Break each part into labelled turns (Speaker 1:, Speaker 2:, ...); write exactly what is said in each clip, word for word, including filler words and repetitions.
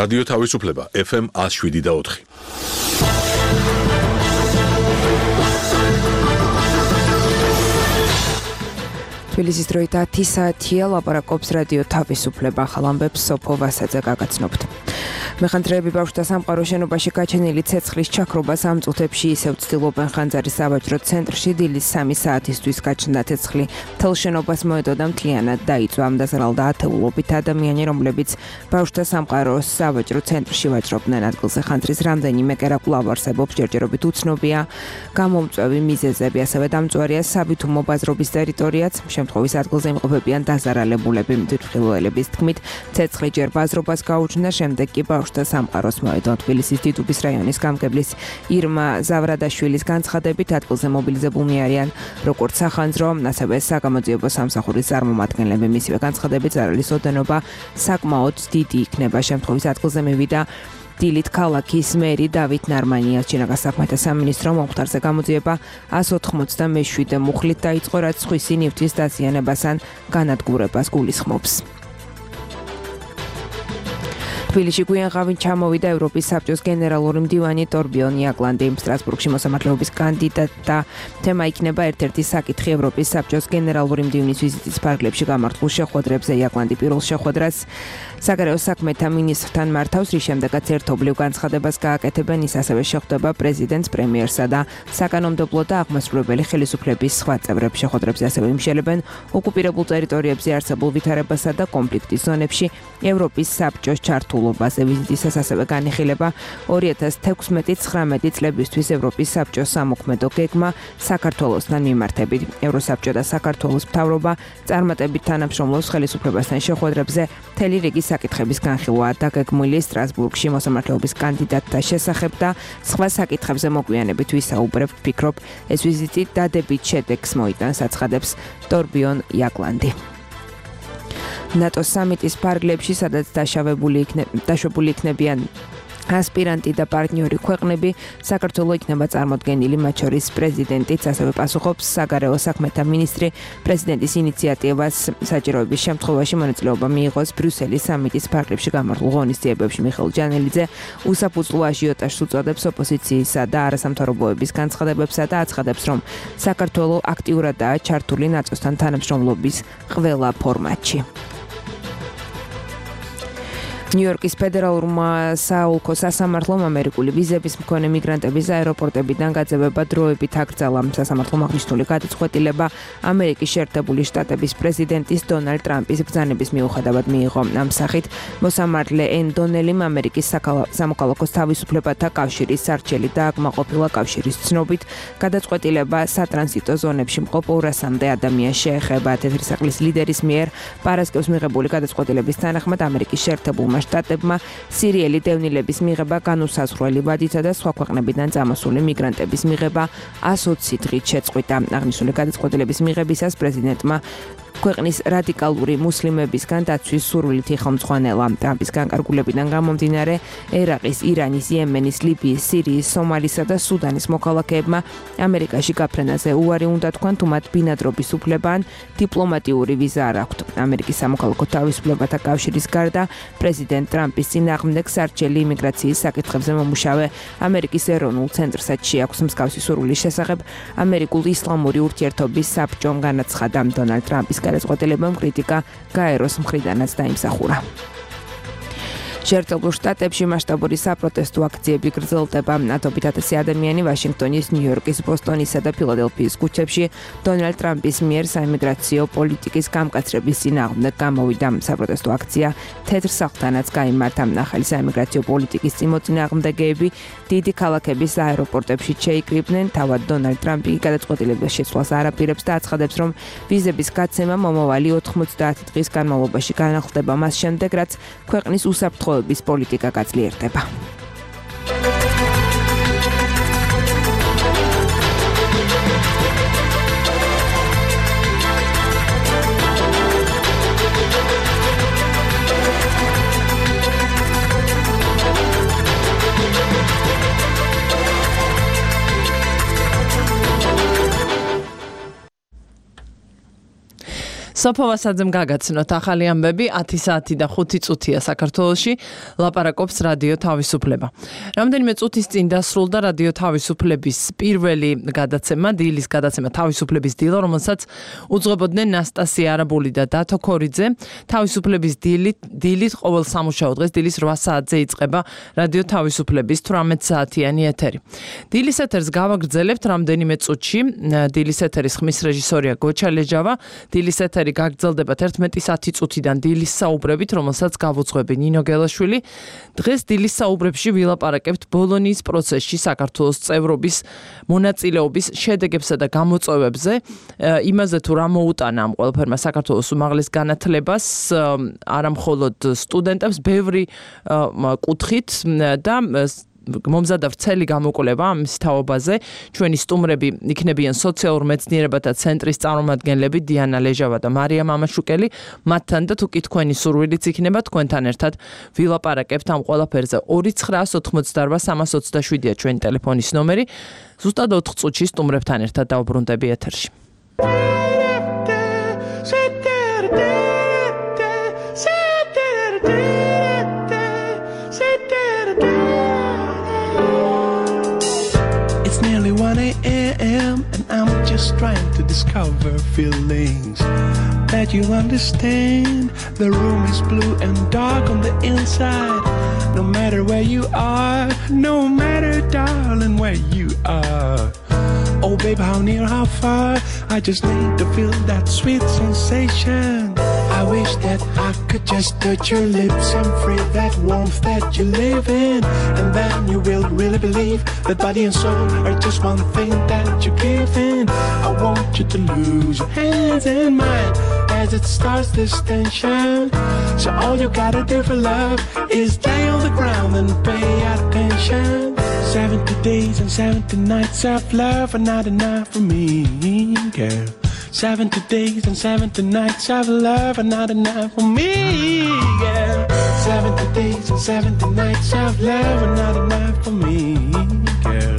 Speaker 1: რადიო თავისუფლება ეფ ემ one oh seven და four.
Speaker 2: თბილისის დროით ათი საათია, ლაპარაკობს რადიო თავისუფლება, ახალ ამბებს სოფო ვასაძე გაგაცნობთ. მეხანძრეები ბავშვთა სამყაროს შენობაში გაჩენილი ცეცხლის ჩაქრობას ამ წუთებში ისევ ცდილობენ ხანძარის საბაჟრო ცენტრში დილის სამი საათისთვის გაჩნდა ცეცხლი. მთელ შენობას მოედო და მთლიანად დაიწვა. ამ დაზარალდა ათეულობით ადამიანი, რომლებიც ბავშვთა სამყაროს საბაჟრო ცენტრში ვაჭრობდნენ. ადგილზე ხანძრის რამდენიმე კერა კვლავ არსებობს, ჯერჯერობით უცნობია გამომწვევი მიზეზები, ასევე დამწვარია საბითუმო ბაზრობის ტერიტორიაც. შემთხვევის ადგილზე იმყოფებიან დაზარალებულები. მდივხილველების თქმით, ცეცხლი ჯერ ბაზრობას გაუჩნდა, შემდეგ კი ბავშვთა სამყაროს მოედო. თბილისის დიდუბის რაიონის გამგებლის ირმა ზავრადაშვილის განცხადებით, ადგილზე მობილიზებულნი არიან როგორც სახანძრო, ასევე საგამოძიებო სამსახურის წარმომადგენლები. მისივე განცხადებით, ზარალის ოდენობა საკმაოდ დიდი იქნება. შემთხვევის ადგილზე მივიდა დილით ქალაქის მერი დავით ნარმანიას. ჩინაგას საქმეთა სამინისტრო მომხდარზე გამოძიება one hundred forty-seven მუხლით დაიწყო, რაც სხვისი ნივთის დაზიანებას ან განადგურებას გულისხმობს. თბილისში გვიანღავით ჩამოვიდა ევროპის საბჭოს გენერალური მდივანი ტორბიონ იაკლანდი. სტრასბურგში მოსამართლეობის კანდიდატი და თემა იქნება ერთ-ერთი საკითხი ევროპის საბჭოს გენერალური მდივნის ვიზიტის ფარგლებში გამართულ შეხვედრებზე. იაკლანდი პირველ შეხვედრას საგარეო საქმეთა მინისტრთან მართავს, რის შემდეგაც ერთობლივ განცხადებას გააკეთებენ. ის ასევე შეხვდება პრეზიდენტს, პრემიერსა და საკანონმდებლო და აღმასრულებელი ხელისუფლების სხვა წევრებს. შეხვედრებზე ასევე იმშელებენ ოკუპირებულ ტერიტორიებზე არსებულ ვითარებასა და კონფლიქტის ზონებში ევროპის საბჭოს ჩართულობაზე. ვიზიტისას ასევე განიხილება two thousand sixteen nineteen წლებისთვის ევროპის საბჭოს სამოქმედო გეგმა საქართველოსთან მიმართებით. ევროსაბჭო და საქართველოს მთავრობა წარმატებით თანამშრომლობს ხელისუფლებასთან შეხვედრებზე. მთელი რიგი საკითხების განხილვაა დაგეგმილი სტრასბურგში მოსამართლეობის კანდიდატთა შესახებ და სხვა საკითხებზე მოგვიანებით ვისაუბრებთ. ვფიქრობ, ეს ვიზიტი დადებით შედეგს მოიტანს, აცხადებს ტორბიონ იაკლანდი. ნატოს სამიტის ფარგლებში, სადაც დაშავებული დაშვებული იქნებიან ასპირანტი და პარტნიორი ქვეყნები, საქართველოს იქნება წარმოდგენილი, მათ შორის პრეზიდენტიც, ასევე პასუხობს საგარეო საქმეთა მინისტრი პრეზიდენტის ინიციატივას საჭიროების შემთხვევაში მონაწილეობა მიიღოს ბრიუსელის სამიტის ფარგლებში გამართულ ღონისძიებებში. მიხეილ ჯანელიძე უსაფუძვლო აჟიოტაჟს უწოდებს ოპოზიციისა და არასამთავრობოების განცხადებებსა და აცხადებს, რომ საქართველოს აქტიურადაა ჩართული ნატოსთან თანამშრომლობის ყველა ფორმატში. ნიუ-იორკის ფედერალურმა საოლქო სასამართლომ ამერიკული ვიზების მქონე მიგრანტების აეროპორტებიდან გაძევება დროებით აკრძალა. სასამართლომ აღნიშნული გადაწყვეტილება ამერიკის შეერთებული შტატების პრეზიდენტის დონალდ ტრამპის ბრძანების მიუხედავად მიიღო. ამ სახით მოსამართლე ენ დონელიმ ამერიკის სამოქალაქოს თავისუფლებათა კავშირის სარჩელი დააკმაყოფილა. კავშირის ცნობით, გადაწყვეტილება სატრანზიტო ზონებში მყოფ ორასამდე ადამიანს შეეხება. თეთრისახლის ლიდერის მიერ პარასკევს მიღებული გადაწყვეტილების თანახმად ამერიკის შეერთებულმა შტატებმა სირიელი დევნილების მიღება, განუსაზღვრელი ვადითა და სხვა ქვეყნებიდან წამოსული მიგრანტების მიღება one hundred twenty დღით შეწყვიტა. აღნიშნული გადაწყვეტილების მიღებისას პრეზიდენტმა ქვეყნის რადიკალური მუსლიმებისგან დაცვის სურვილით იხელმძღვანელა. ტრამპის განკარგულებიდან გამომდინარე, ერაყის, ირანის, იემენის, ლიბიის, სირიის, სომალისა და სუდანის მოქალაქეებმა ამერიკაში გაფრენაზე უარი უნდა თქვან, თუ მათ ბინადრობის უფლება ან დიპლომატიური ვიზა არ აქვთ. ამერიკის სამოქალაქო თავისუფლებათა კავშირის გარდა პრეზიდენტ ტრამპის წინააღმდეგ სარჩელი იმიგრაციის საკითხებზე მომუშავე ამერიკის ეროვნულ ცენტრსაც შეაქვს მსგავსი სურვილის შესახებ ამერიკულ ისლამური ურთიერთობის საბჭომ განაცხადა. დონალდ ტრამპის გადაწყვეტილებამ კრიტიკა გაეროს მხრიდანაც დაიმსახურა. შეერთებულ შტატებში მასშტაბური საპროტესტო აქციები გრძელდება. ათობით ათასი ადამიანი ვაშინგტონის, ნიუ-იორკის, ბოსტონისა და ფილადელფიის ქუჩებში დონალდ ტრამპის მიერ საიმიგრაციო პოლიტიკის გამკაცრების წინააღმდეგ გამოვიდა. საპროტესტო აქცია თეთრ სახლთანაც გაიმართა. ახალი საიმიგრაციო პოლიტიკის წინააღმდეგეები დიდი ქალაქების აეროპორტებში შეიკრიბნენ. თავად დონალდ ტრამპი გადაწყვეტილების შეცვლას არაპირებს და აცხადებს, რომ ვიზების გაცემა მომავალი ოთხმოცდაათი დღის განმავლობაში განახლდება, მას შემდეგ, რაც ქვეყნის უსაფრთხო პოლიტიკა გაძლიერდება.
Speaker 3: სოფო ვასაძემ გაგაცნოთ ახალი ამბები ათი საათი და ხუთი წუთია საქართველოში ლაპარაკობს რადიო თავისუფლება. Რამდენიმე წუთის წინ დასრულდა რადიო თავისუფლების პირველი გადაცემა, დილის გადაცემა თავისუფლების დილა, რომელსაც უძღვებოდნენ ნასტასია არაბული და დათო ქორიძე. თავისუფლების დილით დილით ყოველ სამუშაო დღეს დილის რვა საათზე იწყება რადიო თავისუფლების თვრამეტ საათიანი ეთერი. დილის ეთერს გავაგრძელებთ რამდენიმე წუთში. დილის ეთერის ხმის რეჟისორია გოჩა ლეჯავა. დილის ეთერი გაგრძელდება თერთმეტი საათი წუთიდან დილის საუბრებით, რომელსაც გავუძღვები ნინო გელაშვილი. დღეს დილის საუბრებში ვილაპარაკებთ ბოლონიის პროცესში საქართველოს წევრობის მონაწილეობის შედეგებსა და გამოწვევებზე, იმაზე თუ რა მოუტანა ამ ყველაფერმა საქართველოს უმაღლეს განათლებას, არა მხოლოდ სტუდენტებს, ბევრი კუთხით და მომზადა ვრცელი გამოკვლევა ამის თაობაზე. ჩვენი სტუმრები იქნებიან სოციალურ მეცნიერებათა ცენტრის წარმომადგენლები დიანა ლეჟავა და მარია მამაშუკელი. მათთან და თუ კი თქვენი სურვილიც იქნება, თქვენთან ერთად ვილაპარაკებთ ამ ყველაფერზე. ორი ცხრაას ოთხმოცდარვა სამას ოცდაშვიდია ჩვენი ტელეფონის ნომერი. ზუსტად ოთხ წუთში სტუმრებთან ერთად დავბრუნდები ეთერში.
Speaker 4: one a.m. and I'm just trying to discover feelings that you understand. The room is blue and dark on the inside. No matter where you are, no matter, darling, where you are. Oh, babe, how near, how far? I just need to feel that sweet sensation. I wish that I could just touch your lips and feel that warmth that you live in. And then you will really believe that body and soul are just one thing that you give in. I want you to lose your hands in mine as it starts this tension. So all you gotta do for love is lay on the ground and pay attention. seventy days and seventy nights of love are not enough for me, girl. seventy days and seventy nights of love are not enough for me, girl. seventy days and seventy nights of love are not enough for me, girl.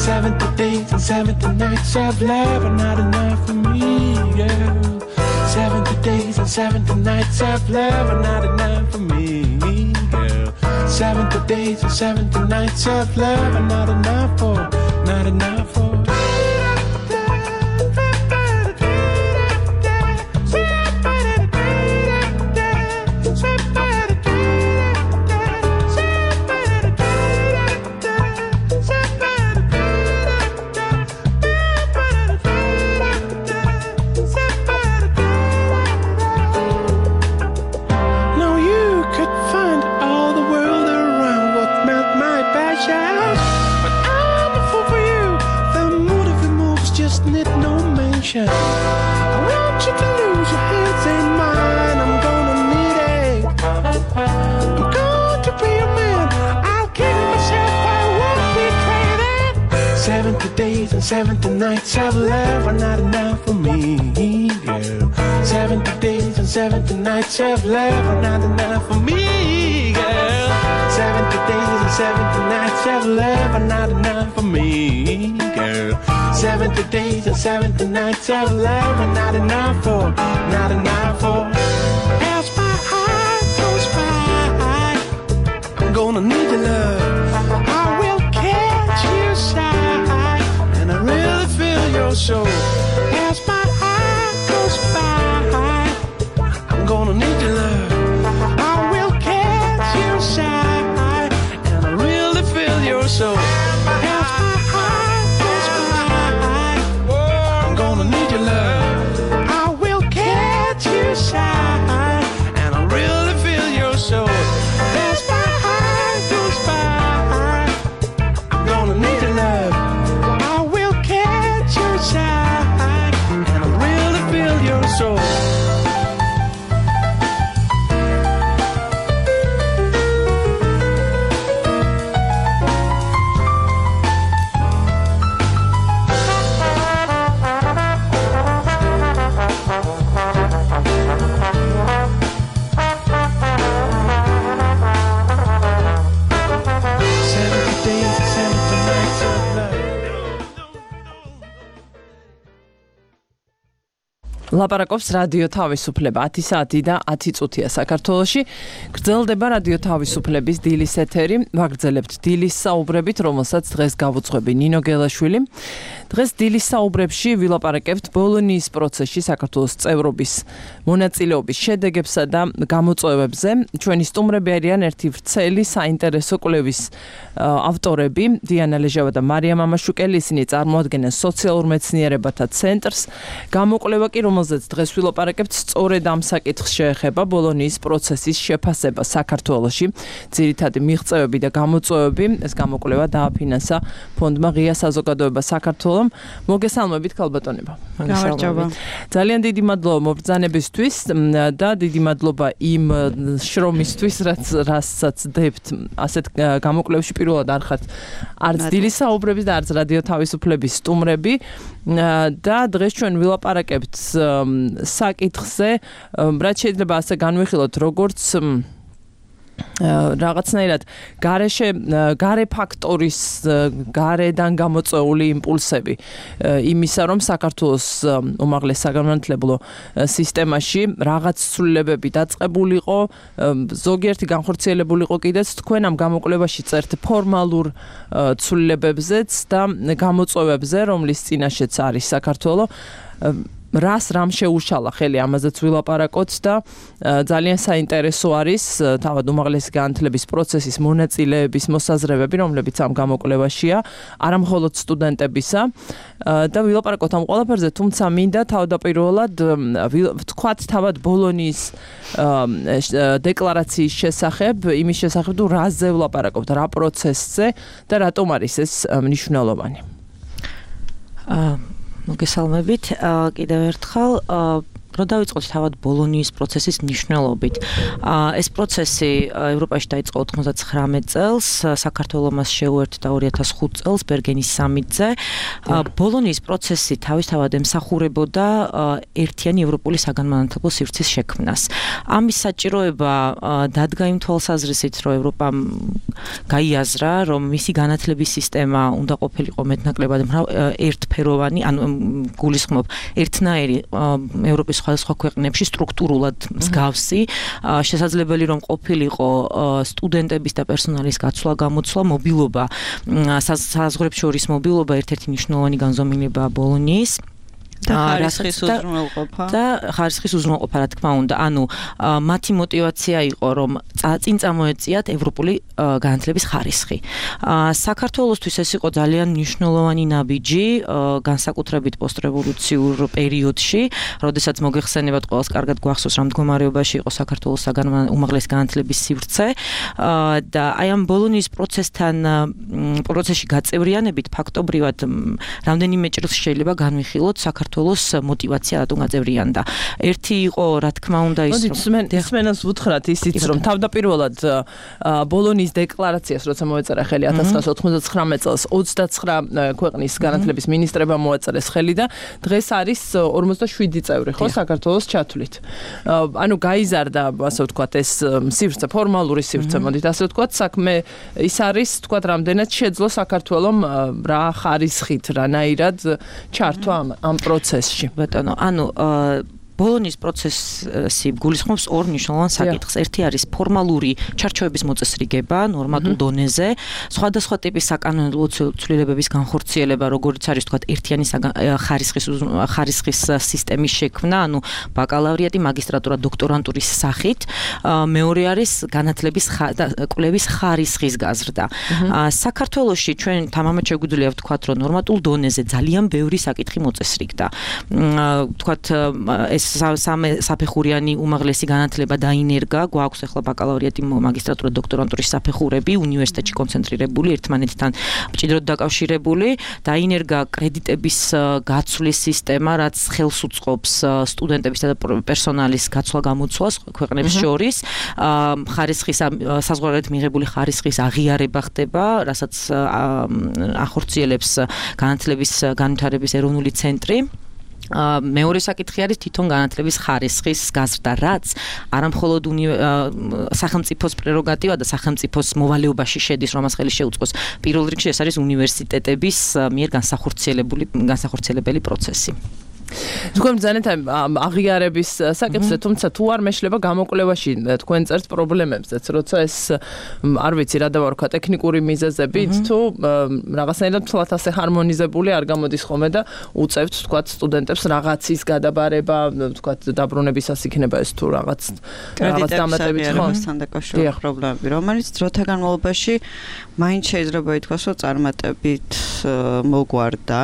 Speaker 4: seventy days and seventy nights of love are not enough for me, girl. seventy days and seventy nights of love are not enough for me, girl. seventy days and seventy nights of love are not enough for, not enough for. I want you to lose your hands in mine. I'm gonna need it. I'm going to be a man. I'll give myself, I won't betray that. seventy days and seventy nights of love are not enough for me, girl. seventy days and seventy nights of love are not enough for me, girl. seventy days and seventy nights of love are not enough for me, girl. seventy days and seventy nights of love are not enough for, not enough for. As my heart goes by, I'm gonna need your love. I will catch you side, and I really feel your soul. As my heart goes by, I'm gonna need your love. I will catch you side, and I really feel your soul. As my heart goes by, I'm gonna need your love. I will catch you side, and I really feel your soul. As my heart goes by, I'm gonna need your love. I will catch you side,
Speaker 3: ლაპარაკობს რადიო თავისუფლება ათი საათი და ათი წუთია საქართველოში. გრძელდება რადიო თავისუფლების დილის ეთერი. ვაგრძელებთ დილის საუბრებით, რომელსაც დღეს გავუძღვები ნინო გელაშვილი. დღეს დილის საუბრებში ვილაპარაკებთ ბოლონიის პროცესში საქართველოს წევრობის მონაწილეობის შედეგებსა და გამოწვევებზე. ჩვენი სტუმრები არიან ერთი ვრცელი საინტერესო კვლევის ავტორები, დიანა ლეჟავა და მარია მამაშუკელი. ისინი წარმოადგენენ სოციალურ მეცნიერებათა ცენტრს. გამოკვლევა კი, რომელზეც დღეს ვილაპარაკებთ, სწორედ ამ საკითხს შეეხება ბოლონიის პროცესის შეფასება საქართველოში. ძირითადი მიღწევები და გამოწვევები. ეს გამოკვლევა დააფინანსა ფონდმა ღია საზოგადოება საქართველოს. მოგესალმებით ქალბატონებო.
Speaker 5: გამარჯობა.
Speaker 3: ძალიან დიდი მადლობა მობრძანებისთვის და დიდი მადლობა იმ შრომისთვის, რაც რასაც დებთ ასეთ გამოკვლევებში. პირველად არ ხართ არც დილის საუბრების და არც რადიო თავისუფლების სტუმრები და დღეს ჩვენ ვილაპარაკებთ საკითხზე, რაც შეიძლება ასე განვიხილოთ, როგორც რაღაცნაირად გარეშე გარე ფაქტორის გარედან გამოწვეული იმპულსები იმისა, რომ საქართველოს უმაღლეს საგანმანათლებლო სისტემაში რაღაც ცვლილებები დაწყებულიყო, ზოგიერთი განხორციელებულიყო კიდეც. თქვენ ამ გამოკვლევაში წერთ ფორმალურ ცვლილებებზეც და გამოწვევებზე, რომლის წინაშეც არის საქართველო. რას რამ შეუშალა ხელი, ამაზეც ვილაპარაკოთ და ძალიან საინტერესო არის თავად უმაღლესი განათლების პროცესის მონაწილეების მოსაზრებები, რომლებიც ამ გამოკვლევაშია, არა მხოლოდ სტუდენტებისა და ვილაპარაკოთ ამ ყველაფერზე, თუმცა მინდა თავდაპირველად ვთქვათ თავად ბოლონიის დეკლარაციის შესახებ, იმის შესახებ, თუ რაზე ვილაპარაკოთ, რა პროცესზე და რატომ არის ეს მნიშვნელოვანი.
Speaker 5: მოგესალმებით. კიდევ ერთხელ რო დავიწყოთ თავად ბოლონიის პროცესის მნიშვნელობით. ეს პროცესი ევროპაში დაიწყო ოთხმოცდათხრამეტ წელს, საქართველოს მას შეუერთდა ორი ათას ხუთ წელს ბერგენის სამიტზე. ბოლონიის პროცესი თავისთავად ემსახურებოდა ერთიანი ევროპული საგანმანათლებლო სივრცის შექმნას. ამის საჭიროება დადგა იმ თვალსაზრისით, რომ ევროპამ გაიაზრა, რომ მისი განათლების სისტემა უნდა ყოფილიყო მეტნაკლებად ერთფეროვანი, ანუ გულისხმობ ერთნაირი ევროპის სხვადასხვა ქვეყნებში სტრუქტურულად მსგავსი, შესაძლებელი რომ ყოფილიყო სტუდენტების და პერსონალის გაცვლა, გამოცვლა, მობილობა, საზღვრებს შორის მობილობა ერთ-ერთი მნიშვნელოვანი განზომილებაა ბოლონიის.
Speaker 6: და ხარისხის უზრუნველყოფა
Speaker 5: და ხარისხის უზრუნველყოფა, რა თქმა უნდა. ანუ მათი мотиваცია იყო, რომ წინ წამოეწიათ ევროპული განათლების ხარისხი. საქართველოსთვის ეს იყო ძალიან მნიშვნელოვანი ნაბიჯი, განსაკუთრებით პოსტრევოლუციურ პერიოდში, როდესაც მოგეხსენებათ, ყველას კარგად გვახსოვს, რა მდგომარეობაში იყო საქართველოს უმაღლესი განათლების სივრცე და აი ამ ბოლონიის პროცესთან პროცესში გაწევრიანებით ფაქტობრივად რამდენიმე ჭრილს შეიძლება განვიხილოთ საქართველოს мотиваცია რატომ გაწევრიანდა. ერთი იყო, რა თქმა უნდა, ის
Speaker 3: რომ დეხმენას ვუთხრათ ისიც, რომ თავდაპირველად ბოლონიის დეკლარაციას, როცა მოეწერა ხელი ათას ცხრაასა ოთხმოცდათხრამეტ წელს, ოცდაცხრა ქვეყნის განათლების მინისტრებმა მოაწერეს ხელი და დღეს არის ორმოცდაშვიდი წევრი, ხო, საქართველოს ჩათვლით. ანუ გაიზარდა, ასე ვთქვათ, ეს სივრცე, ფორმალური სივრცე, მოდით ასე ვთქვათ, საქმე ის არის, ვთქვათ, რამდენად შეძლო საქართველომ რა ხარისხით, რანაირად ჩართვა ამ პროცესში.
Speaker 5: ბატონო, ანუ ბოლონიის პროცესი გულისხმობს ორ მნიშვნელოვან საკითხს. ერთი არის ფორმალური ჩარჩოების მოწესრიგება ნორმატულ დონეზე, სხვადასხვა ტიპის საკანონმდებლო ცვლილებების განხორციელება, როგორც არის თქვათ ერთიანი ხარისხის ხარისხის სისტემის შექმნა, ანუ ბაკალავრიატი, მაგისტრატურა, დოქტორანტურის სახით. მეორე არის განათლების და კვლევის ხარისხის გაზრდა. საქართველოში ჩვენ თამამად შეგვიძლია ვთქვათ, რომ ნორმატულ დონეზე ძალიან ბევრი საკითხი მოწესრიგდა. ვთქვათ, ეს საფეხურიანი უმაღლესი განათლება დაინერგა, გვაქვს ახლა ბაკალავრიატი, მაგისტრატურა, დოქტორანტურის საფეხურები, უნივერსიტეტში კონცენტრირებული, ერთმანეთთან მჭიდროდ დაკავშირებული, დაინერგა კრედიტების გაცვლის სისტემა, რაც ხელს უწყობს სტუდენტებისა და პერსონალის გაცვლა-გამოცვლას ქვეყნებს შორის, ხარისხის საზღვარგარეთ მიღებული ხარისხის აღიარება ხდება, რასაც ახორციელებს განათლების განვითარების ეროვნული ცენტრი. მეორე საკითხი არის თვითონ განათლების ხარისხის გაზრდა, რაც არამხოლოდ სახელმწიფოს პრეროგატივა და სახელმწიფოს მოვალეობაში შედის, რომ მას ხელი შეუწყოს. პირველ რიგში ეს არის უნივერსიტეტების მიერ განსახორციელებული განსახორციელებელი პროცესი.
Speaker 3: თქვენ ბრძანეთ აღიარების საკითხზე, თუმცა თუ არ მეშლება გამოკვლევაში თქვენ წერთ პრობლემებზეც, როცა ეს არ ვიცი რა დავარქვა ტექნიკური მიზეზებით, თუ რაღაცნაირად თვალთ ასე ჰარმონიზებული არ გამოდის ხოლმე და უწევთ თქვათ სტუდენტებს რაღაცის გადაბარება, თქვათ დაბრუნებისას იქნება ეს თუ რაღაც რაღაც დამატებით
Speaker 6: ხომ დაკავშირებული პრობლემები, რომელიც დროთა განმავლობაში მაინც შეიძლება ითქვას, რომ წარმატებით მოგვარდა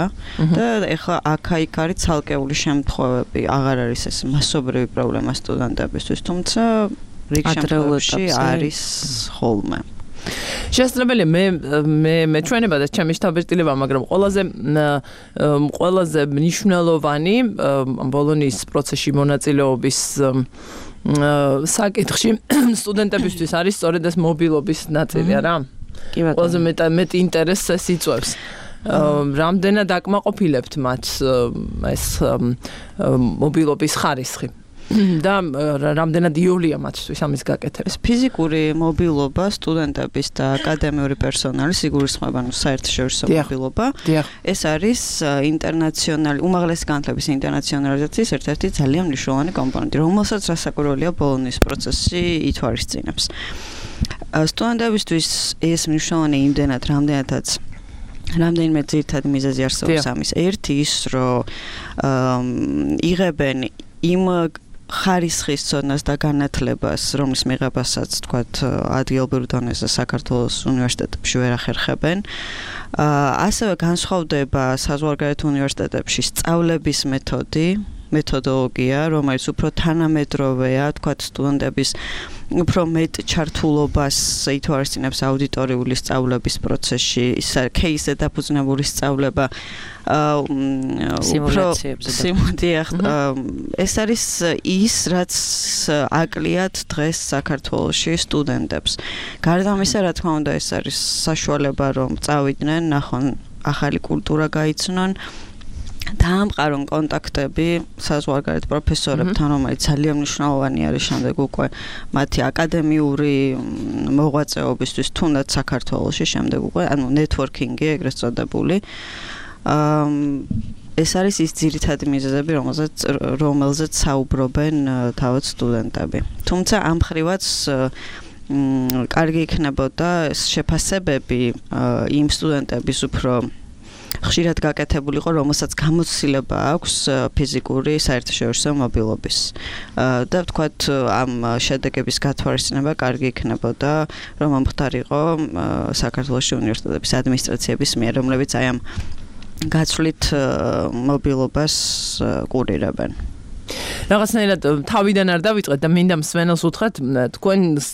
Speaker 6: და ეხლა აქა-იქ არის ცალკეული შემთხვევები, აღარ არის ეს მასობრივი პრობლემა სტუდენტებისთვის, თუმცა რიგ შემთხვევებში არის ხოლმე.
Speaker 3: შესაძლებელია მე მე მეჩვენება და ჩემი შთაბეჭდილება, მაგრამ ყველაზე ყველაზე მნიშვნელოვანი ბოლონიის პროცესში მონაწილეობის საკითხში სტუდენტებისთვის არის სწორედ ეს მობილობის ნაწილი, რა. კი ბატონო. ყველაზე მეტი ინტერესს ეს იწვევს. რამდენად აკმაყოფილებთ მათ ეს მობილობის ხარისხი და რამდენად იოლია მათთვის ამის გაკეთება.
Speaker 6: ეს ფიზიკური მობილობა სტუდენტების და აკადემიური პერსონალის იგულისხმება, ნუ საერთაშორისო მობილობა. ეს არის ინტერნაციონალი, უმაღლესი განათლების ინტერნაციონალიზაციის ერთ-ერთი ძალიან მნიშვნელოვანი კომპონენტი, რომელსაც რასაკვირველია ბოლონიის პროცესი ითვალისწინებს. სტუდენტებისთვის ეს მნიშვნელოვანი იმდენად, რამდენადაც რამდენიმე ძირითადი მიზეზი არსებობს ამის. ერთი ის, რომ იღებენ იმ ხარისხის ცოდნას და განათლებას, რომლის მიღებასაც თქვათ ადგილობრივ დონეზე საქართველოს უნივერსიტეტებში ვერ ახერხებენ. ასევე განსხვავდება საზღვარგარეთ უნივერსიტეტებში სწავლების მეთოდი, მეთოდოლოგია, რომელიც უფრო თანამედროვეა, თქვათ სტუდენტების უფრო მეტ ჩართულობას ითვალისწინებს აუდიტორიული სწავლების პროცესში, ის кейსზე დაფუძნებული სწავლება,
Speaker 5: სიმულაციებზე.
Speaker 6: ეს არის ის, რაც აკლიათ დღეს საქართველოში სტუდენტებს. გარდა ამისა, რა თქმა უნდა, ეს არის საშუალება, რომ წავიდნენ, ნახონ ახალი კულტურა გაიცნონ. დაამყარონ კონტაქტები საზღვარგარეთ პროფესორებთან, რომელიც ძალიან მნიშვნელოვანი არის შემდეგ უკვე მათი აკადემიური მოღვაწეობისთვის, თუნდაც საქართველოში შემდეგ უკვე, ანუ ნეტვორკინგი ეგრეთ წოდებული. ეს არის ის ძირითადი მიზეზები, რომელზეც რომელზეც საუბრობენ თავად სტუდენტები. თუმცა ამ მხრივაც კარგი იქნებოდა შეფასებები იმ სტუდენტების უფრო ხშირად გაკეთებულიყო, რომელსაც გამოცდილება აქვს ფიზიკური საერთაშორისო მობილობის. და ვთქვათ, ამ შედეგების გათვალისწინება კარგი იქნებოდა, რომ მომხდარიყო საქართველოს უნივერსიტეტების ადმინისტრაციების მიერ, რომლებიც აი ამ გაცვლით მობილობას კურირებენ.
Speaker 3: რაღაცნაირად თავიდან არ დავიწყეთ და მინდა მსმენელს უთხრათ თქვენს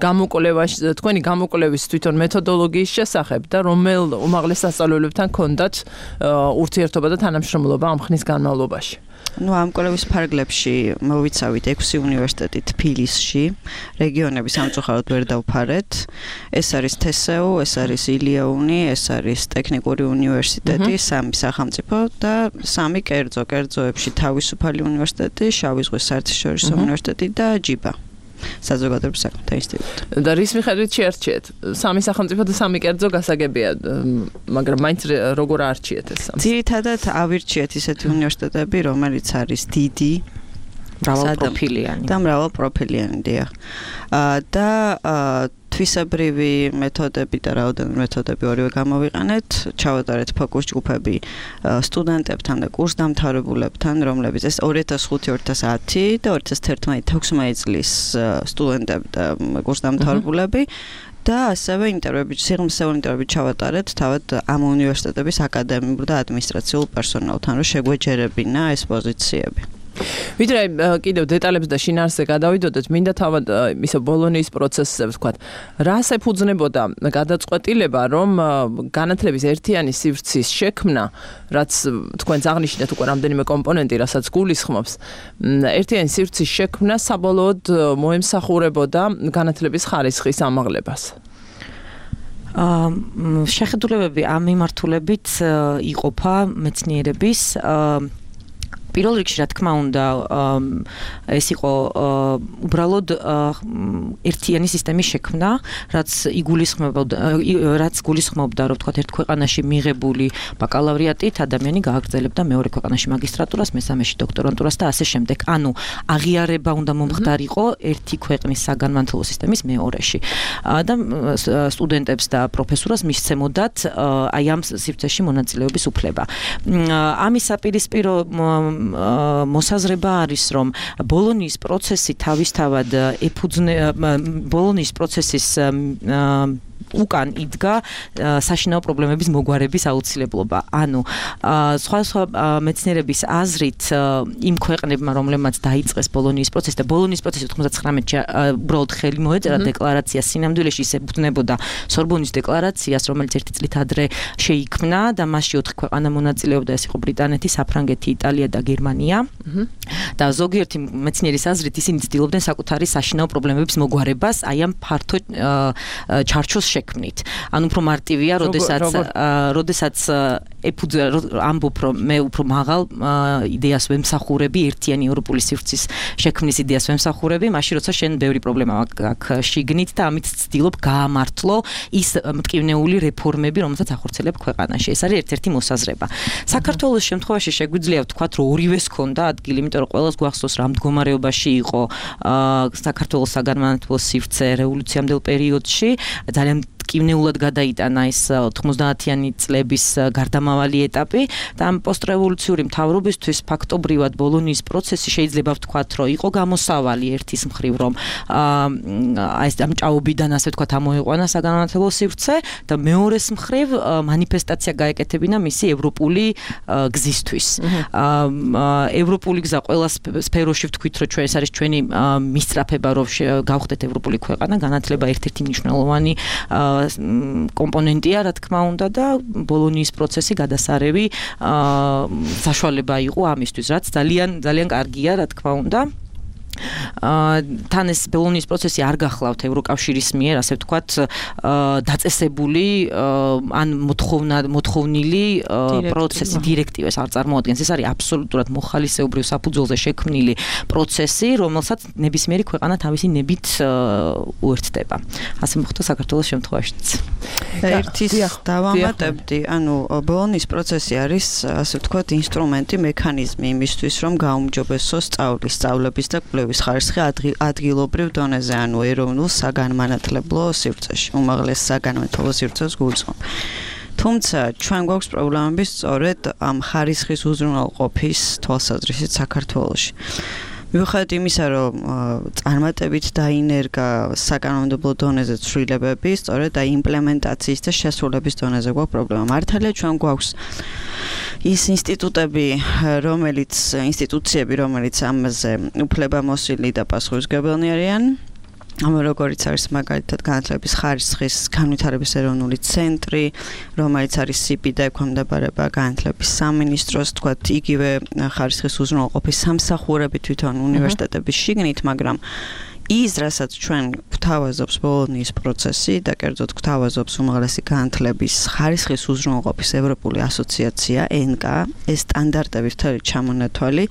Speaker 3: გამოკვლევაში, თქვენი გამოკვლევის თვითონ მეთოდოლოგიის შესახებ და რომელ უმაღლეს სასწავლებლებთან ქონდათ ურთიერთობა და თანამშრომლობა ამ ხნის განმავლობაში.
Speaker 6: ნუ ამ კვლევის ფარგლებში მოვიცავით ექვსი უნივერსიტეტი თბილისში, რეგიონები სამწუხაროდ ვერ დავფარეთ. ეს არის თესეუ, ეს არის ილიაუნი, ეს არის ტექნიკური უნივერსიტეტი, სამი სახელმწიფო და სამი კერძო, კერძოებში თავისუფალი უნივერსიტეტი, შავი ზღვის საერთაშორისო უნივერსიტეტი და ჯიბა. საზოგადოების საქმეთა ინსტიტუტი.
Speaker 3: და რის მიხედვით შეარჩიეთ? სამი სახელმწიფო და სამი კერძო გასაგებია, მაგრამ მაინც როგორ არჩიეთ ეს სამი?
Speaker 6: ძირითადად ავირჩიეთ ისეთი უნივერსიტეტები, რომელიც არის დიდი,
Speaker 5: მრავალპროფილიანი
Speaker 6: და მრავალპროფილიანი, დიახ. და თვისებრივი მეთოდები და რაოდენობით მეთოდები ორივე გამოვიყენეთ, ჩავატარეთ ფოკუს ჯგუფები სტუდენტებთან და კურსდამთავრებულებთან, რომლებიც ეს ორი ათას ხუთი ორი ათას ათი და ორი ათას თერთმეტი თექვსმეტი წლის სტუდენტები და კურსდამთავრებულები და ასევე ინტერვიუები, სიღრმისეულ ინტერვიუები ჩავატარეთ თავად ამ უნივერსიტეტების აკადემიურ და ადმინისტრაციულ პერსონალთან, რომ შეგვეჯერებინა ეს პოზიციები.
Speaker 3: ვიდრე კიდევ დეტალებს და შინაარსზე გადავიდოდეთ, მინდა თავად ისე ბოლონიის პროცესზე ვთქვათ, რას ეფუძნებოდა გადაწყვეტილება, რომ განათლების ერთიანი სივრცის შექმნა, რაც თქვენს აღნიშნეთ უკვე რამდენიმე კომპონენტი, რასაც გულისხმობს, ერთიანი სივრცის შექმნა საბოლოოდ მოემსახურებოდა განათლების ხარისხის ამაღლებას.
Speaker 5: შეხედულებები ამ მიმართულებით იყოფა მეცნიერების პირველ რიგში რა თქმა უნდა ეს იყო უბრალოდ ერთიანი სისტემის შექმნა, რაც იგულისხმებოდა რაც გულისხმობდა რომ თქვა ერთ ქვეყანაში მიღებული ბაკალავრიატით ადამიანი გააგრძელებდა მეორე ქვეყანაში მაგისტრატურას, მესამეში დოქტორანტურას და ასე შემდეგ. ანუ აღიარება უნდა მომხდარიყო ერთი ქვეყნის საგანმანათლებლო სისტემის მეორეში. და სტუდენტებს და პროფესორას მისცემოდათ აი ამ სივრცეში მონაწილეობის უფლება. ამის საპირისპირო მოსაზრება არის, რომ ბოლონიის პროცესი თავისთავად ეფუძნება ბოლონიის პროცესის უკან იდგა საშინაო პრობლემების მოგვარების აუცილებლობა. ანუ სხვა სხვა მეცნიერების აზრით იმ ქვეყნებმა, რომლებმაც დაიწყეს ბოლონიის პროცესი და ბოლონიის პროცესი ოთხმოცდათხრამეტში უბრალოდ ხელი მოეწერა დეკლარაცია, სინამდვილეში ის ებრძნებოდა სორბონის დეკლარაციას, რომელიც ერთი წლით ადრე შეიქმნა და მასში ოთხ ქვეყანა მონაწილეობდა, ეს იყო ბრიტანეთი, საფრანგეთი, იტალია და გერმანია. და ზოგიერთი მეცნიერის აზრით ისინი ცდილობდნენ საკუთარი საშინაო პრობლემების მოგვარებას აი ამ ფართო ჩარჩოს შექმნით. ანუ უფრო მარტივია, როდესაც როდესაც ეფუძნა ამბობ რომ მე უფრო მაღალ იდეას ვემსახურები, ერთიანი ევროპული სივრცის შექმნის იდეას ვემსახურები, მაშინ როცა შენ ბევრი პრობლემა აქვს შიგნით და ამით ცდილობ გაამართლო ის მტკივნეული რეფორმები, რომელსაც ახორციელებ ქვეყანაში. ეს არის ერთ-ერთი მოსაზრება. საქართველოს შემთხვევაში შეგვიძლია ვთქვათ, რომ ორივეს ჰქონდა ადგილი, იმიტომ რომ ყველას გვახსოვს რა მდგომარეობაში იყო საქართველოს საგანმანათლებლო სივრცე რევოლუციამდელ პერიოდში, ძალიან მტკივნეულად გადაიტანა ეს ოთხმოცდაათიანი წლების გარდამავალი ეტაპი და ამ პოსტრევოლუციური მთავრობისთვის ფაქტობრივად ბოლონიის პროცესი შეიძლება ვთქვათ, რომ იყო გამოსავალი ერთის მხრივ, რომ აი ეს ამ ჭაობიდან ასე ვთქვათ ამოიყვანა საგანმანათლებლო სივრცე და მეორეს მხრივ მანიფესტაცია გაეკეთებინა მისი ევროპული გზისთვის. ევროპული გზა ყველა სფეროში ვთქვით, რომ ჩვენ ეს არის ჩვენი მისწრაფება, რომ გავხდეთ ევროპული ქვეყანა, განათლება ერთ-ერთი მნიშვნელოვანი კომპონენტია, რა თქმა უნდა და ბოლონიის პროცესი გადასარევი საშუალება იყო ამისთვის, რაც ძალიან ძალიან კარგია, რა თქმა უნდა. თან ეს ბოლონიის პროცესი არ გახლავთ ევროკავშირის მიერ, ასე ვთქვათ, დაწესებული ან მოთხოვნილი პროცესი, დირექტივას არ წარმოადგენს. ეს არის აბსოლუტურად მოხალისეობრივ საფუძველზე შექმნილი პროცესი, რომელსაც ნებისმიერი ქვეყანა თავისი ნებით უერთდება. ასე მოხდა საქართველოს შემთხვევაშიც.
Speaker 6: ერთის დავამატებდი, ანუ ბოლონიის პროცესი არის, ასე ვთქვათ, ინსტრუმენტი, მექანიზმი იმისთვის, რომ გაუმჯობესოს სწავლის, სწავლების და კვლევის ხარისხი ადგილობრივ დონეზე, ანუ ეროვნულ საგანმანათლებლო სივრცეში, უმაღლეს საგანმანათლებლო სივრცეს გულისხმობ. თუმცა ჩვენ გვაქვს პრობლემები სწორედ ამ ხარისხის უზრუნველყოფის თვალსაზრისით საქართველოში. მიუხედავად იმისა, რომ წარმატებით დაინერგა საგანმანათლებლო დონეზე ცვლილებები, სწორედ აი იმპლემენტაციის და შესრულების დონეზე გვაქვს პრობლემა. მართალია ჩვენ გვაქვს ის ინსტიტუტები, რომელიც ინსტიტუციები, რომელიც ამაზე უფლებამოსილი და პასუხისმგებელნი არიან, როგორც არის მაგალითად განათლების ხარისხის განვითარების ეროვნული ცენტრი, რომელიც არის სი პი და ექვემდებარება განათლების სამინისტროს, თქვათ, იგივე ხარისხის უზრუნველყოფის სამსახურები თვითონ უნივერსიტეტების შიგნით, მაგრამ ის, რასაც ჩვენ გვთავაზობს ბოლონიის პროცესი და კერძოდ გვთავაზობს უმაღლესი განათლების ხარისხის უზრუნველყოფის ევროპული ასოციაცია ენ კა, ეს სტანდარტების მთელი ჩამონათვალი,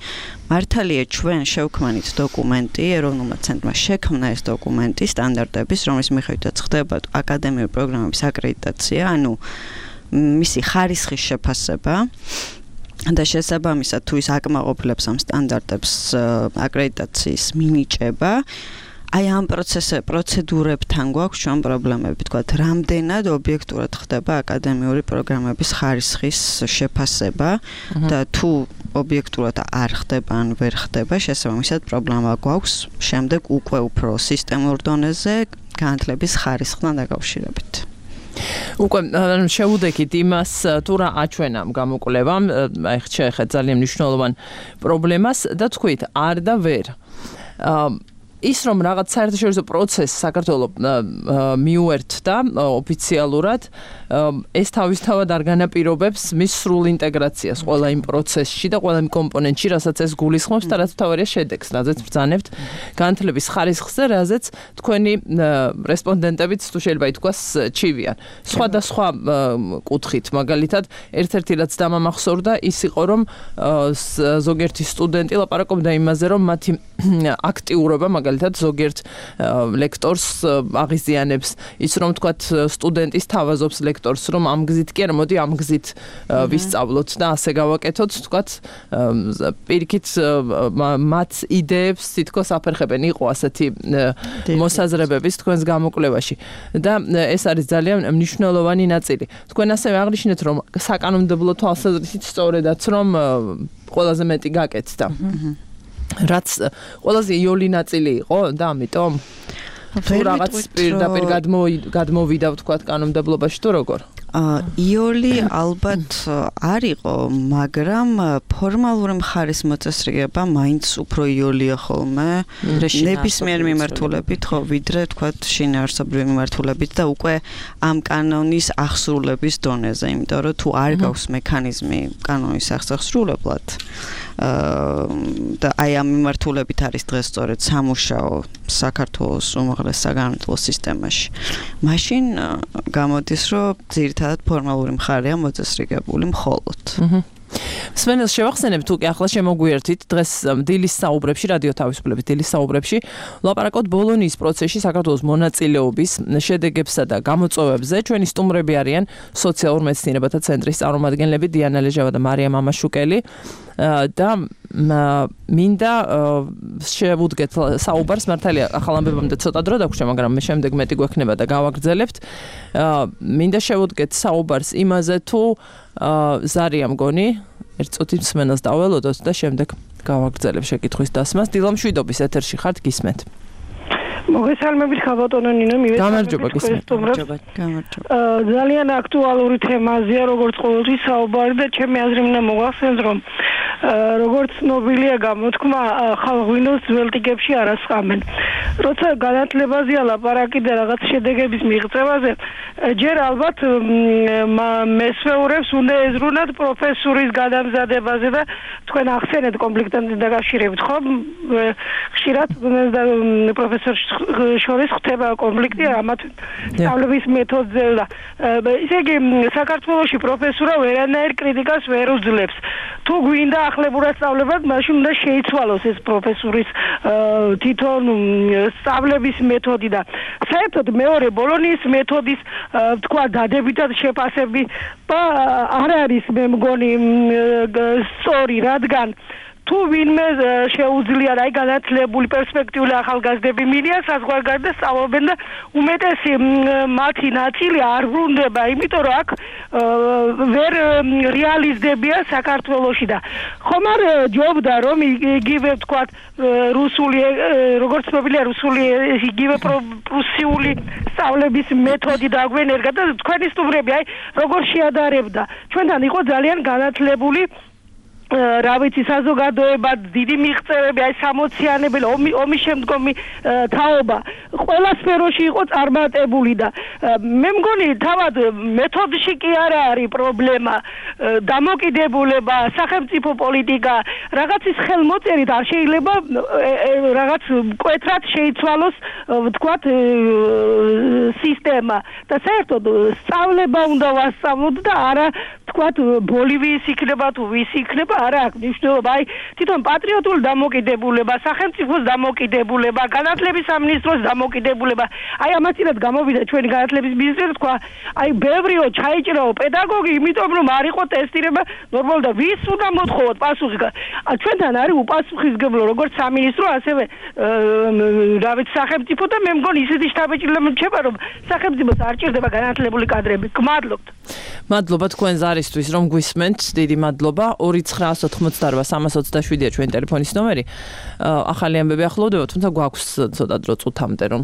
Speaker 6: მართალია ჩვენ შევქმნით დოკუმენტი, ეროვნულმა ცენტრმა შექმნა ეს დოკუმენტი სტანდარტების, რომლის მიხედვითაც ხდება აკადემიური პროგრამების აკრედიტაცია, ანუ მისი ხარისხის შეფასება. და შესაბამისად თუ ის აკმაყოფილებს ამ სტანდარტებს აკრედიტაციის მინიჭება, აი ამ პროცესზე პროცედურებთან გვაქვს ჩვენ პრობლემები, თქვათ, რამდენად ობიექტურად ხდება აკადემიური პროგრამების ხარისხის შეფასება და თუ ობიექტურად არ ხდება ან ვერ ხდება, შესაბამისად პრობლემა გვაქვს შემდეგ უკვე უფრო სისტემურ დონეზე განათლების ხარისხთან დაკავშირებით.
Speaker 3: უკვე შევუდექით იმას, თუ რა აჩვენა ამ გამოკვლევამ, აი შეეხეთ ძალიან მნიშვნელოვან პრობლემას და თქვით, არ და ვერ. ის რომ რაღაც საერთაშორისო პროცესს საქართველოს მიუერთდა ოფიციალურად, ეს თავისთავად არ განაპირობებს მის სრულ ინტეგრაციას ყველა იმ პროცესში და ყველა იმ კომპონენტში, რასაც ეს გულისხმობს და რაც თავარია შედეგს, რაზეც ბრძანებთ განათლების ხარისხს და რაზეც თქვენი რესპონდენტებიც თუ შეიძლება ითქვას ჩივიან. სხვადასხვა კუთხით, მაგალითად, ერთ-ერთი რაც დამამახსოვრდა ის იყო, რომ ზოგიერთი სტუდენტი ლაპარაკობდა იმაზე, რომ მათი აქტიურობა მაგალითად ზოგიერთ ლექტორს აღიზიანებს ის რომ თქვათ სტუდენტის თავაზობს ლექტორს რომ ამ გზით კი არა მოდი ამ გზით ვისწავლოთ და ასე გავაკეთოთ თქვათ პირიქით მათ იდეებს თითქოს აფერხებენ იყო ასეთი მოსაზრებების თქვენს გამოკვლევაში და ეს არის ძალიან მნიშვნელოვანი ნაწილი თქვენ ასევე აღნიშნეთ რომ საკანონმდებლო თვალსაზრისით სწორედაც რომ ყველაზე მეტი გაკეთდა რაც ყველაზე იოლი ნაწილი იყო და ამიტომ თუ რაღაც პირდაპირ გადმოვიდა ვთქვათ კანონმდებლობაში თუ როგორ
Speaker 6: იოლი ალბათ არ იყო მაგრამ ფორმალური მხარის მოწესრიგება მაინც უფრო იოლია ხოლმე ნებისმიერ მიმართულებით ხო ვიდრე ვთქვათ შინაარსობრივი მიმართულებით და უკვე ამ კანონის აღსრულების დონეზე იმიტომ რომ თუ არ გაქვს მექანიზმი კანონის აღსრულებლად და აი ამ მიმართულებით არის დღეს სწორედ სამუშაო საქართველოს უმაღლეს საგანმანათლებლო სისტემაში. მაშინ გამოდის, რომ ძირითადად ფორმალური მხარეა მოწესრიგებული მხოლოდ.
Speaker 3: სვენელს შევახსენებ თუ კი ახლა შემოგვიერთით დღეს დილის საუბრებში რადიო თავისუფლების დილის საუბრებში ლაპარაკობთ ბოლონიის პროცესში საქართველოს მონაწილეობის შედეგებსა და გამოწვევებზე ჩვენი სტუმრები არიან სოციალურ მეცნიერებათა ცენტრის წარმომადგენლები დიანა ლეჟავა და მარია მამაშუკელი და მინდა შევუდგეთ საუბარს მართალია ახალ ამბებამდე ცოტა დრო დაგვრჩა მაგრამ მე შემდეგ მეტი გვექნება და გავაგრძელებთ მინდა შევუდგეთ საუბარს იმაზე თუ ზარია მგონი ერთ წუთით მსმენელს დაველოდოთ და შემდეგ გავაგრძელებ შეკითხვის დასმას დილა მშვიდობის ეთერში ხართ გისმენთ
Speaker 7: მოგესალმებით ხაბატონო ნინო
Speaker 3: გამარჯობა გისმენთ
Speaker 7: გამარჯობა ძალიან აქტუალური თემაზეა როგორც ყოველთვის საუბარი და ჩემი აზრი მინდა მოგახსენოთ რომ როგორც ცნობილია გამოთქმა ხალღვინოს ძველ ტიკებში არ ასყამენ როცა განათლებაზეა ლაპარაკი და რაღაც შედეგების მიღწევაზე ჯერ ალბათ მესვეურებს უნდა ეზრუნათ პროფესურის გადამზადებაზე და თქვენ ახსენეთ კონფლიქტთან დაკავშირებით ხო ხშირად პროფესორ შორის ხდება კონფლიქტი ამათ სწავლების მეთოდზე და ისე იგი საქართველოში პროფესურა ვერანაირ კრიტიკას ვერ უძლებს თუ გვინდა ახლებურად სწავლებად მაშინ უნდა შეიცვალოს ეს პროფესურის თვითონ სწავლების მეთოდი და საერთოდ მეორე ბოლონიის მეთოდის თქვა დადებითად შეფასები არ არის მე მგონი სწორი რადგან თუ ვინმე შეუძლია აი განათლებული პერსპექტიული ახალგაზრდები მიდიან საზღვარგარეთ და სწავლობენ და უმეტესი მათი ნაწილი არ ბრუნდება იმიტომ რომ აქ ვერ რეალიზდებია საქართველოში და ხომ არ ჯობდა რომ იგივე ვთქვათ რუსული როგორც ცნობილია რუსული იგივე პრუსიული სწავლების მეთოდი დაგვენერგა და თქვენი სტუმრები აი როგორ შეადარებდა ჩვენთან იყო ძალიან განათლებული რა ვიცი საზოგადოება დიდი მიღწევები აი სამოციანებელი ომის შემდგომი თაობა ყველა სფეროში იყო წარმატებული და მე მგონი თავად მეთოდში კი არა არის პრობლემა დამოკიდებულება სახელმწიფო პოლიტიკა რაღაცის ხელმოწერით არ შეიძლება რაღაც მკვეთრად შეიცვალოს ვთქვათ სისტემა და საერთოდ სწავლება უნდა ვასწავლოთ და არა ვთქვათ ბოლივიის იქნება თუ ვის იქნება არა აქვს მნიშვნელობა აი თვითონ პატრიოტული დამოკიდებულება სახელმწიფოს დამოკიდებულება განათლების სამინისტროს დამოკიდებულება აი ამაცინად გამოვიდა ჩვენი განათლების მინისტრი თქვა აი ბევრიო ჩაიჭრაო პედაგოგი იმიტომ რომ არ იყო ტესტირება ნორმალურად და ვის უნდა მოთხოვოთ პასუხი ჩვენთან არის უპასუხისმგებლო როგორც სამინისტრო ასევე რა ვიცი სახელმწიფო და მე მგონი ისეთი შთაბეჭდილება რჩება რომ სახელმწიფოს არ ჭირდება განათლებული კადრები გმადლობთ
Speaker 3: მადლობა თქვენ ზარისთვის რომ გვისმენთ დიდი მადლობა ორი ცხრა ოთხმოცდაოთხ სამას ოცდაშვიდია ჩვენი ტელეფონის ნომერი ახალი ამბები ახლოვდება თუმცა გვაქვს ცოტა დრო წუთამდე რომ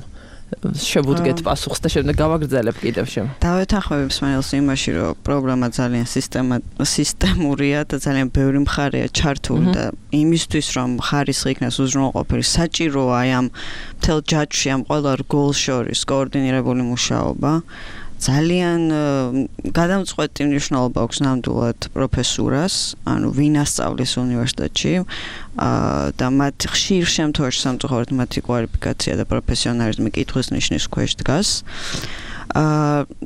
Speaker 3: შევუდგეთ პასუხს და შემდეგ გავაგრძელებ კიდევ შემ.
Speaker 6: დავეთანხმები მსმენელს იმაში, რომ პრობლემა ძალიან სისტემა სისტემურია და ძალიან ბევრი მხარეა ჩართული და იმისთვის, რომ ხარისხი იქნას უზრუნველყოფილი, საჭიროა აი ამ მთელ ჯაჭვში ამ ყველა რგოლს შორის კოორდინირებული მუშაობა. ძალიან გადამწყვეტი მნიშვნელობა აქვს ნამდვილად პროფესურას, ანუ ვინ ასწავლის უნივერსიტეტში და მათ ხშირ შემთხვევაში სამწუხაროდ მათი კვალიფიკაცია და პროფესიონალიზმი კითხვის ნიშნის ქვეშ დგას.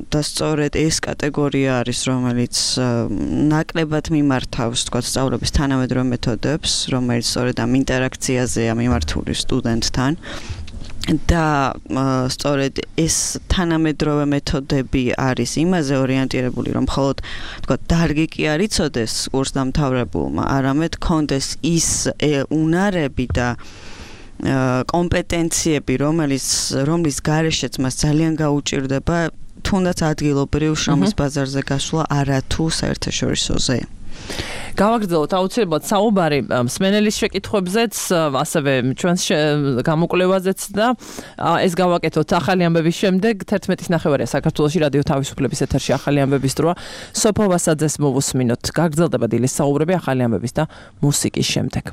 Speaker 6: და სწორედ ეს კატეგორია არის, რომელიც ნაკლებად მიმართავს, თქვა, სწავლების თანამედროვე მეთოდებს, რომელიც სწორედ ამ ინტერაქციაზეა მიმართული სტუდენტთან. და სწორედ ეს თანამედროვე მეთოდები არის იმაზე ორიენტირებული, რომ მხოლოდ თქვა დარგი კი არ იცოდეს კურსდამთავრებულმა, არამედ კონდეს ის უნარები და კომპეტენციები, რომელიც რომლის გარეშეც მას ძალიან გაუჭირდება, თუნდაც ადგილობრივ შრომის ბაზარზე გასვლა არათუ საერთაშორისოზე.
Speaker 3: გავაგრძელოთ აუცილებლად საუბარი მსმენელის შეკითხვებზეც, ასევე ჩვენს გამოკვლევაზეც და ეს გავაკეთოთ ახალი ამბების შემდეგ. თერთმეტის ნახევარია საქართველოში რადიო თავისუფლების ეთერში ახალი ამბების დროა. სოფო ვასაძეს მოვუსმინოთ. გაგრძელდება დილის საუბრები ახალი ამბების და მუსიკის შემდეგ.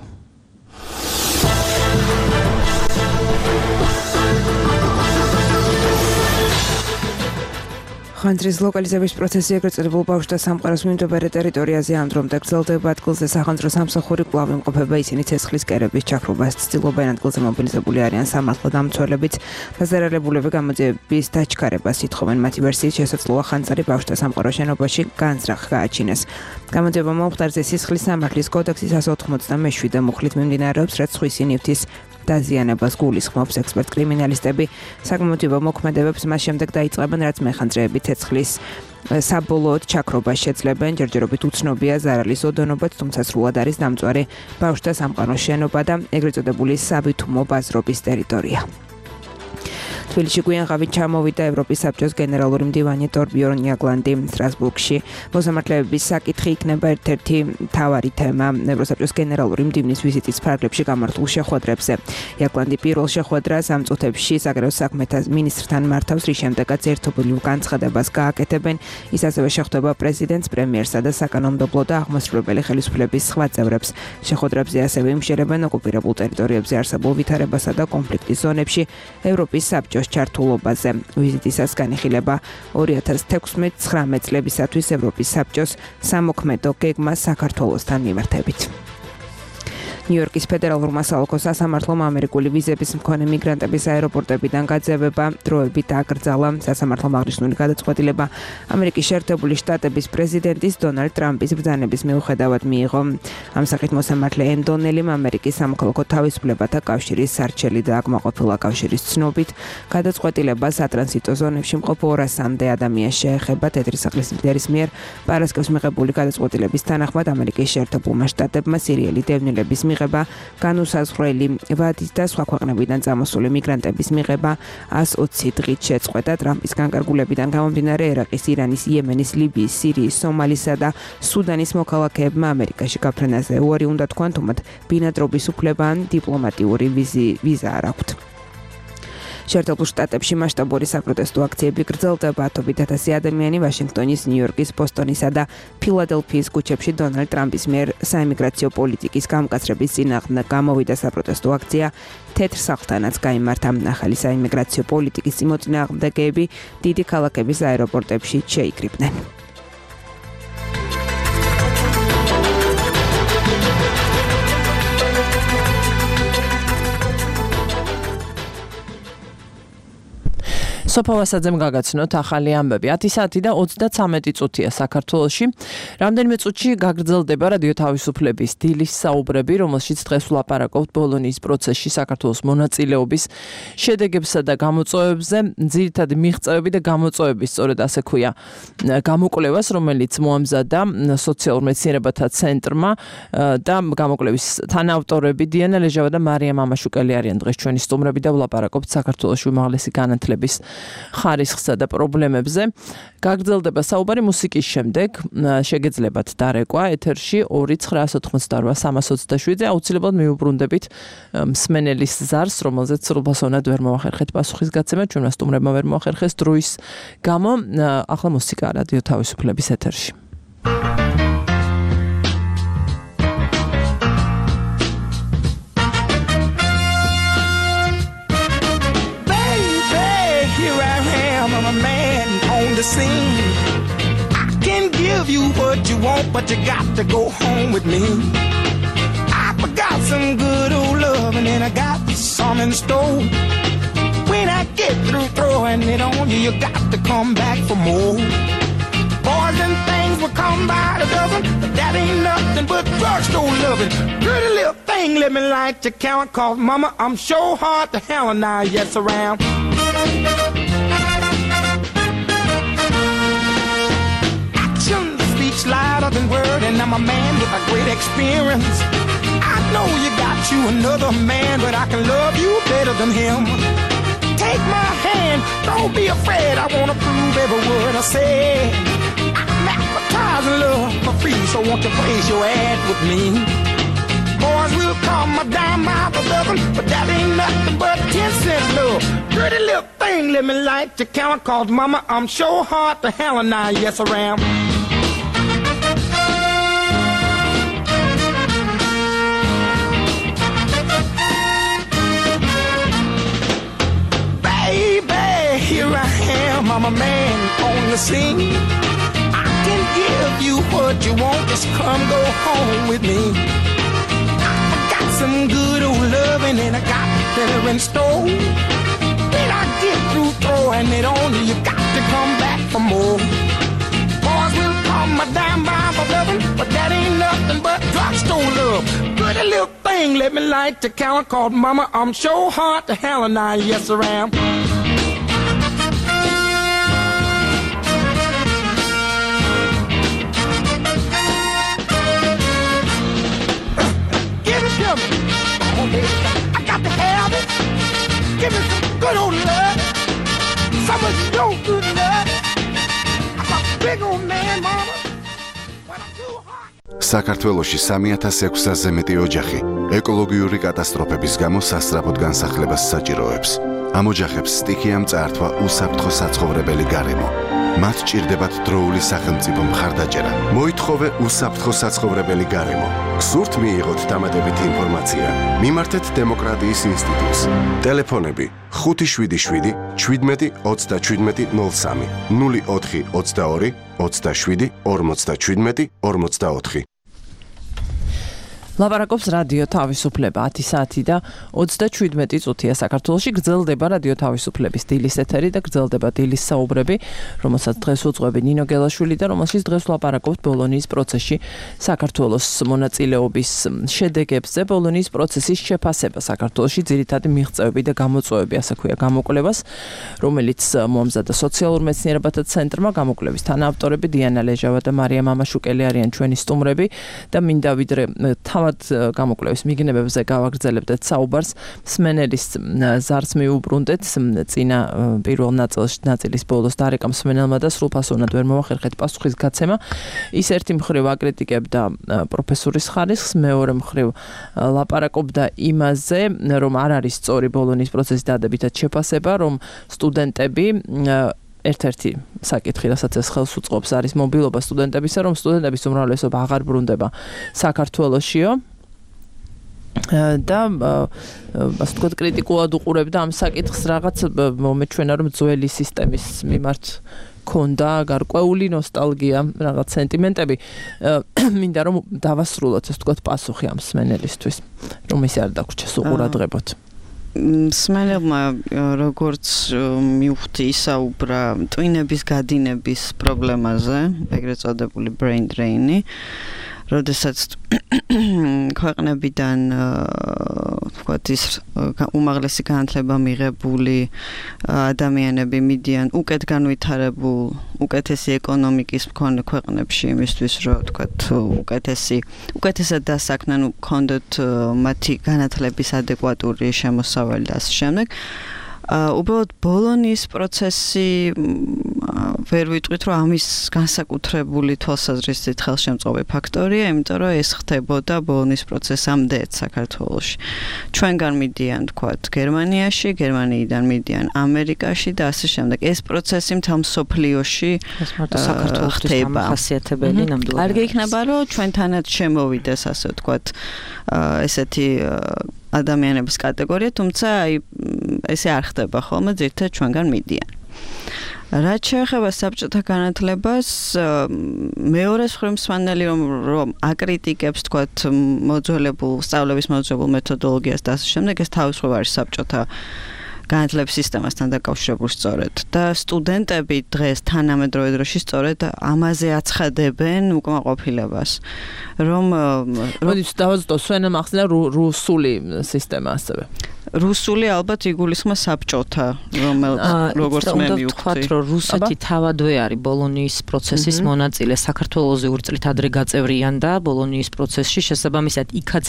Speaker 2: ხანძრის ლოკალიზების პროცესი ეგრეთ წოდებულ ბავშვთა სამყაროს მიმდებარე ტერიტორიაზე ამდრომდა გრძელდება ადგილზე სახანძრო სამსახური კვლავ იმყოფება ისინი ცეცხლის კერების ჩაქრობას ცდილობენ ადგილზე მობილიზებული არიან სამართალ დამცველებიც დაზარალებულები გამოძიების დაჩქარებას ითხოვენ მათი ვერსიით შესაძლოა ხანძარი ბავშვთა სამყაროს შენობაში განზრახ გააჩინეს გამოძიება მომხდარზე სისხლის სამართლის კოდექსის εκατს ოცდამეშვიდე მუხლით მიმდინარეობს რაც სხვისი ნივთის დაზიანებას გულისხმობს ექსპერტ კრიმინალისტები საგამოძიებო მოქმედებებს მას შემდეგ დაიწყებენ რაც მეხანძრეები ცეცხლის საბოლოოდ ჩაქრობას შეძლებენ ჯერჯერობით უცნობია ზარალის ოდენობაც თუმცა სრულად არის დამწვარი ბავშვთა სამყაროს შენობა და ეგრეთ წოდებული სავითუმო ბაზრობის ტერიტორია თბილისში გვიანღავით ჩამოვიდა ევროპის საბჭოს გენერალური მდივანი ტორბიორნ იაგლანდი სტრასბურგში. მოსამართლეების საკითხი იქნება ერთ-ერთი მთავარი თემა ევროსაბჭოს გენერალური მდივნის ვიზიტის ფარგლებში გამართულ შეხვედრებზე. იაგლანდი პირველ შეხვედრას ამ წუთებში საგარეო საქმეთა მინისტრთან მართავს, რის შემდეგაც ერთობლივ განცხადებას გააკეთებენ. ის ასევე შეხვდება პრეზიდენტს, პრემიერსა და საკანონმდებლო და აღმასრულებელი ხელისუფლების სხვა წევრებს. შეხვედრებზე ასევე იმშერებენ ოკუპირებულ ტერიტორიებზე არსებულ ვითარებასა და კონფლიქტის ზონებში ევროპის საბჭოს ჩართულობაზე. ვიზიტისას განიხილება ორი ათას თექვსმეტ-ცხრამეტ წლებისათვის ევროპის საბჭოს სამოქმედო გეგმა საქართველოსთან მიმართებით. ნიუ-იორკის ფედერალურმა სამოქალაქო სასამართლომ ამერიკული ვიზების მქონე მიგრანტების აეროპორტებიდან გაძევება დროებით აკრძალა. სასამართლომ აღნიშნული გადაწყვეტილება ამერიკის შეერთებული შტატების პრეზიდენტის დონალდ ტრამპის ბრძანების მიუხედავად მიიღო. ამ საკითხით მოსამართლე ენდონელიმ ამერიკის სამოქალაქო თავისუფლებათა კავშირის სარჩელი და აკმაყოფილა კავშირის ცნობით გადაწყვეტილება სატრანზიტო ზონებში მყოფ ორასამდე ადამიანს შეეხება. თეთრი სახლის ლიდერის მიერ პარასკევს მიღებული გადაწყვეტილების თანახმად ამერიკის შეერთებულმა შტატებმა სირიელი დევნილების მიღება, განუსაზღვრელი ვადის და სხვა ქვეყნებიდან წამოსული მიგრანტების მიღება ას ოცი დღით შეწყვეტა. ტრამპის განკარგულებიდან გამომდინარე ერაყის, ირანის, იემენის, ლიბიის, სირიის, სომალისა და სუდანის მოქალაქეებმა ამერიკაში გაფრენაზე უარი უნდა თქვან, თუმცა ბინადრობის უფლება ან დიპლომატიური ვიზა არ აქვთ. შეერთებულ შტატებში მასშტაბური საპროტესტო აქციები გრძელდება. ათობით ათასი ადამიანი ვაშინგტონის, ნიუ-იორკის, ბოსტონისა და ფილადელფიის ქუჩებში დონალდ ტრამპის მიერ საიმიგრაციო პოლიტიკის გამკაცრების წინააღმდეგ გამოვიდა. საპროტესტო აქცია თეთრ სახლთანაც გაიმართა. ახალი საიმიგრაციო პოლიტიკის წინააღმდეგები დიდი ქალაქების აეროპორტებში შეიკრიბნენ. სოფო ვასაძემ გაგაცნოთ ახალი ამბები. ათი საათი და ოცდაცამეტი წუთია საქართველოში. რამდენიმე წუთში გაგრძელდება რადიო თავისუფლების დილის საუბრები, რომელშიც დღეს ვლაპარაკობთ ბოლონიის პროცესში საქართველოს მონაწილეობის შედეგებსა და გამოწვევებზე. ძირითადი მიღწევები და გამოწვევები, სწორედ ასე ქვია, გამოკვლევას, რომელიც მოამზადა სოციალურ მეცნიერებათა ცენტრმა და გამოკვლევის თანაავტორები დიანა ლეჟავა და მარია მამაშუკელი არიან დღეს ჩვენი სტუმრები და ვლაპარაკობთ საქართველოს უმაღლესი განათლების
Speaker 3: ხარისხსა და პრობლემებზე. გაგრძელდება საუბარი მუსიკის შემდეგ. შეგეძლებათ დარეკვა ეთერში ორი ცხრა ოთხმოცდაოთხ სამას ოცდაშვიდზე. აუცილებლად მიუბრუნდებით მსმენელის ზარს, რომელზეც სრულფასოვნად ვერ მოახერხეთ პასუხისგაცემა, ჩვენმა სტუმრებმა ვერ მოახერხეს დროის გამო. ახლა მუსიკა რადიო თავისუფლების ეთერში.
Speaker 8: Scene. I can give you what you want, but you got to go home with me. I forgot some good old love, and then I got some in store. When I get through throwing it on you, you got to come back for more. Boys and things will come by the dozen, but that ain't nothing but drugstore loving. Pretty little thing, let me light your count, cause mama, I'm sure hard to hell and I yes around. Louder than word, and I'm a man with a great experience. I know you got you another man, but I can love you better than him. Take my hand, don't be afraid, I wanna prove every word I say. I'm advertising love for free, so won't you place your ad with me? Boys will call my dime out for loving, but that ain't nothing but ten cent love. Pretty little thing, let me light your count, cause mama, I'm sure hard to hell and I yes around. Here I am, I'm a man on the scene. I can give you what you want, just come go home with me. I got some good old loving and I got better in store. When I get through throwing it on you, you got to come back for more. Boys will call my dime by for loving, but that ain't nothing but drugstore love. Pretty little thing, let me light the count, called mama, I'm sure hard to hell and I yes around. I got to have it. Give me some good old love. Some of your good love. I'm a big old man, mama. When I'm too hot.
Speaker 9: საქართველოში სამი ათას ექვსასზე მეტი ოჯახი ეკოლოგიური კატასტროფების გამო სასწრაფოდ განსახლებას საჭიროებს. ამ ოჯახებს სტიქიამ წაართვა უსაფრთხო საცხოვრებელი გარემო. მათ ჭირდებათ დროული სახელმწიფო მხარდაჭერა. მოითხოვე უსაფრთხო საცხოვრებელი გარემო. გსურთ მიიღოთ დამატებითი ინფორმაცია? მიმართეთ დემოკრატიის ინსტიტუტს. ტელეფონები ხუთი შვიდი შვიდი შვიდმეტი ოცდაშვიდმეტი ნოლ სამი ნული ოთხი ოცდაორი ოცდაშვიდი ორმოცდაშვიდმეტი ორმოცდაოთხი.
Speaker 3: ლაპარაკობს რადიო თავისუფლება ათი საათი და ოცდაშვიდმეტი წუთია საქართველოში. გრძელდება რადიო თავისუფლების დილის ეთერი და გრძელდება დილის საუბრები, რომელსაც დღეს უძღვები ნინო გელაშვილი და რომელშიც დღეს ლაპარაკობთ ბოლონიის პროცესში საქართველოს მონაწილეობის შედეგებზე. ბოლონიის პროცესის შეფასება საქართველოში ძირითადი მიღწევები და გამოწვევები, ასე ქვია გამოკვლევას, რომელიც მოამზადა სოციალურ მეცნიერებათა ცენტრმა. გამოკვლევის თანაავტორები დიანა ლეჟავა და მარია მამაშუკელი არიან ჩვენი სტუმრები და მინდა ვიდრე გამოკვლევის მიგნებებზე გავაგრძელებდეთ საუბარს. მსმენელის ზარს მიუბრუნდეთ წინა პირველ ნაწილში ნაწილის ბოლოს დარეკა მსმენელმა და სრულფასოვნად ვერ მოახერხეთ პასუხისგაცემა. ის ერთი მხრივ აკრიტიკებდა პროფესორის ხარისხს, მეორე მხრივ ლაპარაკობდა იმაზე, რომ არ არის სწორი ბოლონიის პროცესის დადებითად შეფასება, რომ სტუდენტები ერთ-ერთი საკითხი, რასაც ეს ხელს უწყობს, არის მობილობა სტუდენტებისა, რომ სტუდენტების უმრავლესობა აღარ ბრუნდება საქართველოშიო და ასე ვთქვათ, კრიტიკულად უყურებდა ამ საკითხს, რაღაც მომეჩვენა, რომ ძველი სისტემის მიმართ ქონდა გარკვეული ნოსტალგია, რაღაც სენტიმენტები. მინდა რომ დავასრულოთ, ასე ვთქვათ, პასუხი ამ მსმენელისთვის, რომ ისე არ დაგვრჩეს უყურადღებოთ.
Speaker 6: მსმენელმა როგორც მივხვდი ისაუბრა ტვინების გადინების პრობლემაზე, ეგრეთ წოდებული brain drain-ი, როდესაც ქვეყნებიდან თქვათ ის უმაღლესი განათლება მიღებული ადამიანები მიდიან უკეთ განვითარებულ, უკეთესი ეკონომიკის მქონე ქვეყნებში იმისთვის, რომ თქვათ უკეთესი, უკეთესად დასაქმდნენ, ქონდოთ მათი განათლების ადეკვატური შემოსავალი და ასე შემდეგ. უბრალოდ ბოლონის პროცესი ვერ ვიტყვით, რომ ამის განსაკუთრებული თვალსაზრისით ხელშემწყობი ფაქტორია, იმიტომ რომ ეს ხდებოდა ბოლონის პროცესამდეც საქართველოში. ჩვენგან მიდიან, თქვათ, გერმანიაში, გერმანიიდან მიდიან ამერიკაში და ასე შემდეგ. ეს პროცესი მთელ მსოფლიოში ხდება.
Speaker 5: ხასიათებელი ნამდვილად.
Speaker 6: კარგი იქნება, რომ ჩვენთანაც შემოვიდეს, ასე ვთქვათ, ესეთი ადამიანების კატეგორია, თუმცა აი ესე არ ხდება ხოლმე, ძირითადად ჩვენგან მიდიან. რაც შეეხება საბჭოთა განათლებას, მეორე მხრივ მსმენელი რომ რომ აკრიტიკებს, თქვათ, მოძველებულ სწავლების მოძველებულ მეთოდოლოგიას და ასე შემდეგ, ეს თავისუფლად არის საბჭოთა განათლების სისტემასთან დაკავშირებული სწორედ და სტუდენტები დღეს თანამედროვე დროში სწორედ ამაზე აცხადებენ უკმაყოფილებას, რომ
Speaker 3: მოდით დავაზუსტო, სვენა მახსნა რუსული სისტემა ასევე.
Speaker 6: რუსული ალბათ იგულისხმება საბჭოთა, რომელიც როგორც მე მივხვდი.
Speaker 5: ვთქვათ, რომ რუსეთი თავადვე არის ბოლონის პროცესის მონაწილე, საქართველოზე ურწლით ადრე გაწევრიანდა ბოლონის პროცესში, შესაბამისად იქაც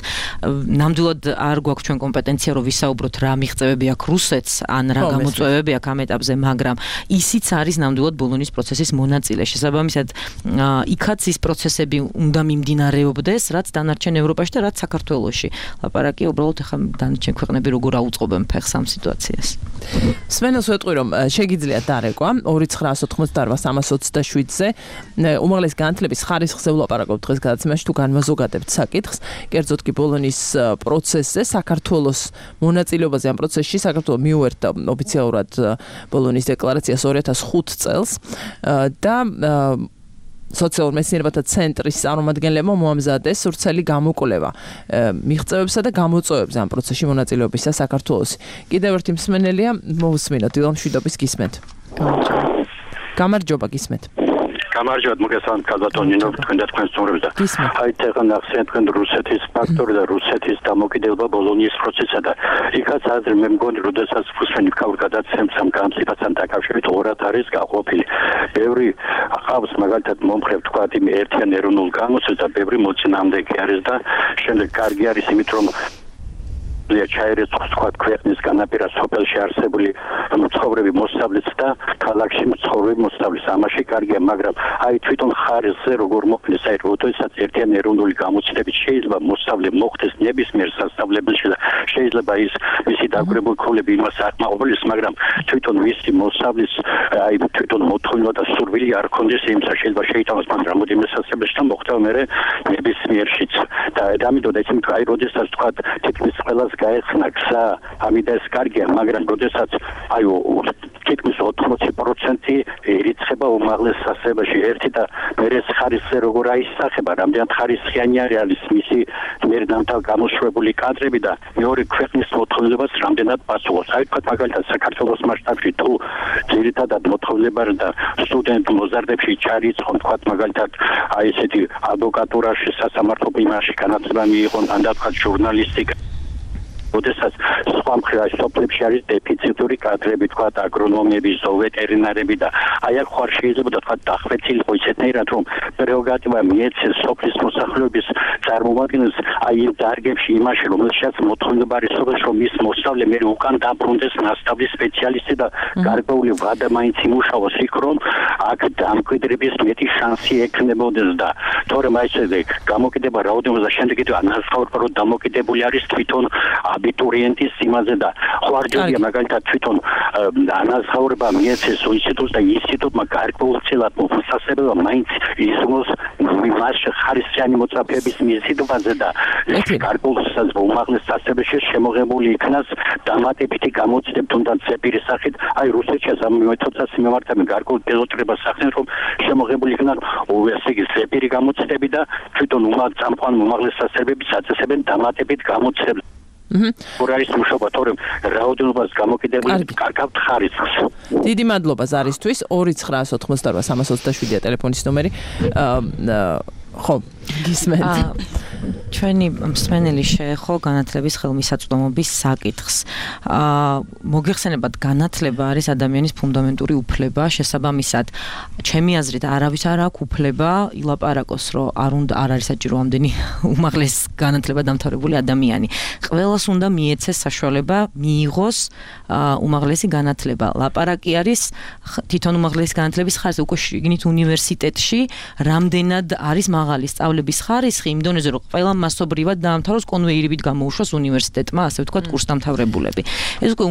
Speaker 5: ნამდვილად არ გვაქვს ჩვენ კომპეტენცია, რომ ვისაუბროთ რა მიღწევები აქვს რუსეთს, ან რა გამოწვევები აქვს ამ ეტაპზე, მაგრამ ისიც არის ნამდვილად ბოლონის პროცესის მონაწილე. შესაბამისად, იქაც ის პროცესები უნდა მიმდინარეობდეს, რაც დანარჩენ ევროპაში და რაც საქართველოში. ლაპარაკი უბრალოდ ახლა დანარჩენ ქვეყნები როგორ აუწყობენ ფეხს ამ სიტუაციას.
Speaker 3: სვენელს ვეტყვი, რომ შეგიძლიათ დარეკვა ორი ცხრაას ოთხმოცდაოთხ სამას ოცდაშვიდზე უმაღლესი განათლების ხარისხზე ვლაპარაკობთ დღეს გადაცემაში, თუ განმაზოგადებთ საკითხს, კერძოდ კი ბოლონის პროცესზე, საქართველოს მონაწილეობაზე ამ პროცესში. საქართველო მიუერთა ოფიციალურად ბოლონის დეკლარაციას ორი ათას ხუთ წელს და სოციალურ მეცნიერებათა ცენტრის წარმომადგენლებმა მოამზადეს სურცელი გამოკვლევა მიღწევებსა და გამოწვევებზე ამ პროცესში მონაწილეობისა საქართველოს. კიდევ ერთი მსმენელია, მოვუსმინოთ, დილამშვიდობის გისმენთ. გამარჯობა, გისმენთ.
Speaker 10: გამარჯობათ, მოგესალმებით კაზატონინო, თქვენ და თქვენ სტუმრებს და აი თეღან ახსენეთ თქვენ რუსეთის ფაქტორი და რუსეთის დამოკიდებულება ბოლონის პროცესსა და იქაც აზრი მე მგონი, როდესაც ფუსვენი ქაურ გადაცემს ამ განცდასთან დაკავშირებით ორად არის გაყოფილი. ბევრი ახავს მაგალითად მომხრევ თქვა იმ ერთიან ეროვნულ გამოცდას და ბევრი მოწინააღმდეგე არის და შემდეგ კარგი არის იმით რომ ჩაერეს თქვა ქვეყნის განაპირას სოფელში არსებული მცხოვრები მოსწავლეც და ქალაქში მცხოვრები მოსწავლეს ამაში კარგია, მაგრამ აი თვითონ ხარისზე როგორ მოხდეს, აი როდესაც ერთიან ეროვნული გამოცდებით შეიძლება მოსწავლე მოხდეს ნებისმიერ სასწავლებელში და შეიძლება ის მისი დაგვირებული ქულები იმას აკმაყოფილოს, მაგრამ თვითონ მისი მოსწავლის აი თვითონ მოთხოვნა და სურვილი არ ქონდეს იმისა, შეიძლება შეიტანოს მან რამოდენიმე სასწავლებელში და მოხდება მე ნებისმიერშიც და ამიტომ ეს იმიტომ აი როდესაც თქვა თითქმის ყველას გაეხსნა გზა, ამიტომ ეს კარგია, მაგრამ როდესაც აი თითქმის ოთხმოცი პროცენტი ერიცხება უმაღლეს სასწავლებელში ერთი და მერე ხარისზე როგორ აისახება, რამდენად ხარისხიანი არის მისი მერდამთავ გამოშვებული კადრები და მეორე ქვეყნის მოთხოვნებას რამდენად პასუხობს. აი თქვა მაგალითად საქართველოს მასშტაბში თუ ძირითადად მოთხოვნება და სტუდენტ მოზარდებში ჩარიცხონ, თქვა მაგალითად აი ესეთი ადვოკატურაში, სასამართლო იმაში განათლება მიიღონ, ან თქვა ჟურნალისტიკა როდესაც სხვა მხრივ სოფლებში არის დეფიციტური კადრები, თქვა აგრონომები, ზოვეტერინარები და აი აქ ხარ შეიძლება თქვა დახვეწილიყო ისეთნაირად რომ პრეროგატივა მიეცეს სოფლის მოსახლეობის წარმომადგენელს აი იმ დარგებში იმაში რომელშიც მოთხოვნა არის სოფელში რომ ის მოსწავლე მე უკან დაბრუნდეს მასშტაბის სპეციალისტი და გარკვეული ვადა მაინც იმუშაოს იქ რომ აქ დამკვიდრების მეტი შანსი ექნებოდეს და თორემ აი ესე გამოკიდება რაოდენობა და შემდეგ კიდევ ანაზღაურება რომ დამოკიდებული არის თვითონ აბიტურიენტის იმაზე და ხوارჯერია მაგალითად თვითონ ანაზღაურება მიეცეს ინსტიტუტს და ინსტიტუტმა გარკვეულწილად მოსასწრებელმა მაინც ისმოს მას ხარისხიანი მოწაფეების მიზიდვაზე და გარკვეულწილად უმაღლეს სასწავლებელში შემოღებული იქნას დამატებითი გამოცდები თუნდაც ზეპირის სახით აი რუსეთში ამ მეთოდსაც მიმართავენ გარკვეულ პილოტირებას ახდენენ რომ შემოღებული იქნან ესე იგი ზეპირი გამოცდები და თვითონ უმაღლეს უმაღლეს სასწავლებელს აწესებენ დამატებით გამოცდებს. ორ არის მუშაობა, თორემ რაოდენობას გამოკიდებული კარგავთ ხარისხს.
Speaker 3: დიდი მადლობა ზარისთვის. ორი ცხრაას ოთხმოცდაოთხ სამას ოცდაშვიდია ტელეფონის ნომერი. ხო, გისმენთ.
Speaker 5: ჩვენი მსმენელი შეეხო განათლების ხელმისაწვდომობის საკითხს. აა მოგეხსენებათ, განათლება არის ადამიანის ფუნდამენტური უფლება, შესაბამისად, ჩემი აზრით არავის არ აქვს უფლება ილაპარაკოს, რომ არ უნდა არ არის საჭირო ამდენი უმაღლეს განათლება დამთავრებული ადამიანი. ყველას უნდა მიეცეს საშუალება მიიღოს უმაღლესი განათლება. ლაპარაკი არის თვითონ უმაღლესი განათლების ხარჯზე, უკვე შიგნით უნივერსიტეტში რამდენად არის მაღალი სწავლების ხარისხი იმ დონეზე, რომ ყველა მასობრივად დაამთავროს, კონვეირებით გამოუშვას უნივერსიტეტმა, ასე ვთქვათ, კურსდამთავრებულები. ეს უკვე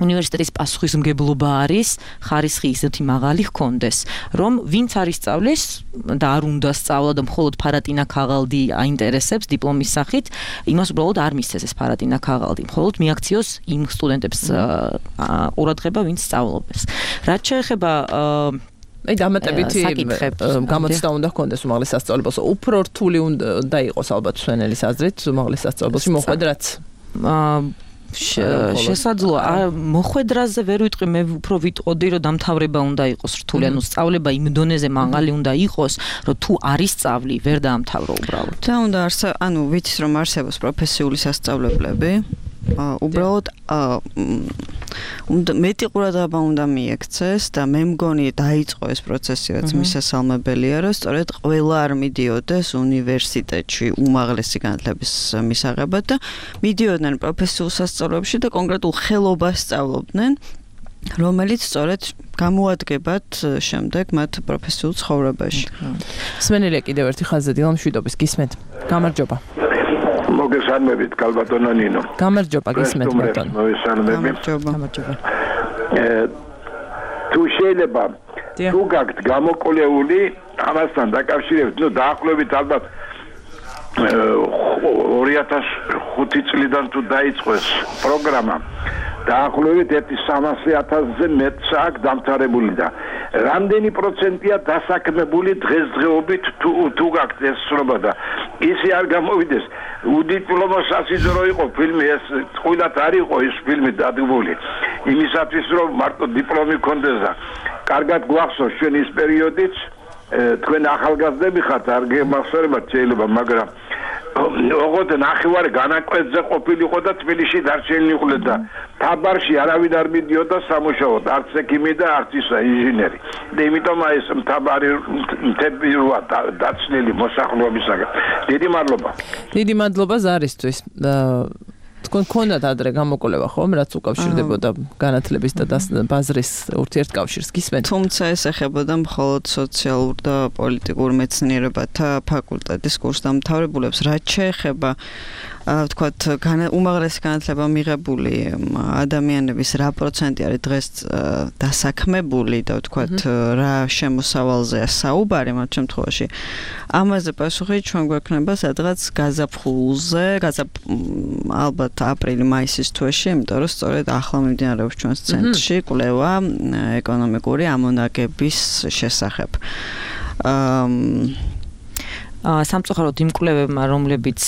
Speaker 5: უნივერსიტეტის პასუხისმგებლობა არის, ხარისხი ისეთი მაღალი ჰქონდეს, რომ ვინც არ ისწავლის და არ უნდა სწავლა და მხოლოდ ფარატინა ქაღალდი აინტერესებს დიპლომის სახით, იმას უბრალოდ არ მისცეს ეს ფარატინა ქაღალდი, მხოლოდ მიაქციოს იმ სტუდენტებს ყურადღება, ვინც სწავლობს. რაც შეეხება
Speaker 3: აი დამატებითი გამოცდა უნდა ჰქონდეს უმაღლეს სასწავლებელს. უფრო რთული უნდა იყოს ალბათ მსმენელის აზრით უმაღლეს სასწავლებელში მოხვედრაც. შესაძლოა მოხვედრაზე ვერ ვიტყვი, მე უფრო ვიტყოდი, რომ დამთავრება უნდა იყოს რთული, ანუ სწავლება იმ დონეზე მაღალი უნდა იყოს, რომ თუ არ ისწავლი, ვერ დაამთავრო უბრალოდ.
Speaker 6: და უნდა არსებობს, ანუ ვიცით რომ არსებობს პროფესიული სასწავლებლები, უბრალოდ მეტი ყურადღება უნდა მიექცეს და მე მგონი დაიწყო ეს პროცესი, რაც მისასალმებელია, რომ სწორედ ყველა არ მიდიოდეს უნივერსიტეტში უმაღლესი განათლების მისაღებად და მიდიოდნენ პროფესიულ სასწავლებლებში და კონკრეტულ ხელობას სწავლობდნენ, რომელიც სწორედ გამოადგებათ შემდეგ მათ პროფესიულ ცხოვრებაში.
Speaker 3: მსმენელია კიდევ ერთი ხაზზე დილა მშვიდობის გისმენთ. გამარჯობა.
Speaker 11: მოგესალმებით, კალბატონო ნინო.
Speaker 3: გამარჯობა, გისმენთ ბატონო.
Speaker 11: გამარჯობა.
Speaker 6: გამარჯობა.
Speaker 11: თუ შეიძლება თუ გაქვთ გამოკვლეული ამასთან დაკავშირებით, ნუ დაახლოებით ალბათ ორი ათას ხუთი წლიდან თუ დაიწყო ეს პროგრამა, დაახლოებით ერთი სამასი ათასზე მეტს აქვს დამთავრებული და რამდენი პროცენტია დასაქმებული დღესდღეობით თუ თუ გაქვთ ეს სრობა და ისე არ გამოვიდეს უდიპლომო სასიზრო იყო ფილმი, ეს ყველათ არ იყო ეს ფილმი დადგმული იმისათვის რომ მარტო დიპლომი ქონდეს და კარგად გვახსოვს ჩვენ ის პერიოდიც თქვენ ახალგაზრდები ხართ, არ გემახსოვრებათ შეიძლება, მაგრამ ოღონდ ნახევარი განაკვეთზე ყოფილიყო და თბილისში დარჩენილი იყო და თაბარში არავინ არ მიდიოდა სამუშაოდ, არც ექიმი და არც ისა ინჟინერი. და იმიტომ ეს თაბარი მთები როა დაცნილი მოსახლეობისაგან. დიდი მადლობა.
Speaker 3: დიდი მადლობა ზარისთვის. თქვენ გქონდათ ადრე გამოკვლევა ხომ, რაც უკავშირდებოდა განათლების და ბაზრის ურთიერთკავშირს, გისმენთ?
Speaker 6: თუმცა ეს ეხებოდა მხოლოდ სოციალურ და პოლიტიკურ მეცნიერებათა ფაკულტეტის კურსდამთავრებულებს, რაც შეეხება ვთქვათ, უმაღლესი განათლება მიღებული ადამიანების რა პროცენტი არის დღეს დასაქმებული და ვთქვათ, რა შემოსავალზეა საუბარი მათ შემთხვევაში. ამაზე პასუხი ჩვენ გვექნება სადღაც გაზაფხულზე, ალბათ აპრილი-მაისის თვეში, იმიტომ რომ სწორედ ახლა მიმდინარეობს ჩვენს ცენტრში კვლევა ეკონომიკური ამონაგების შესახებ.
Speaker 5: სამწუხაროდ იმ კვლევებმა, რომლებიც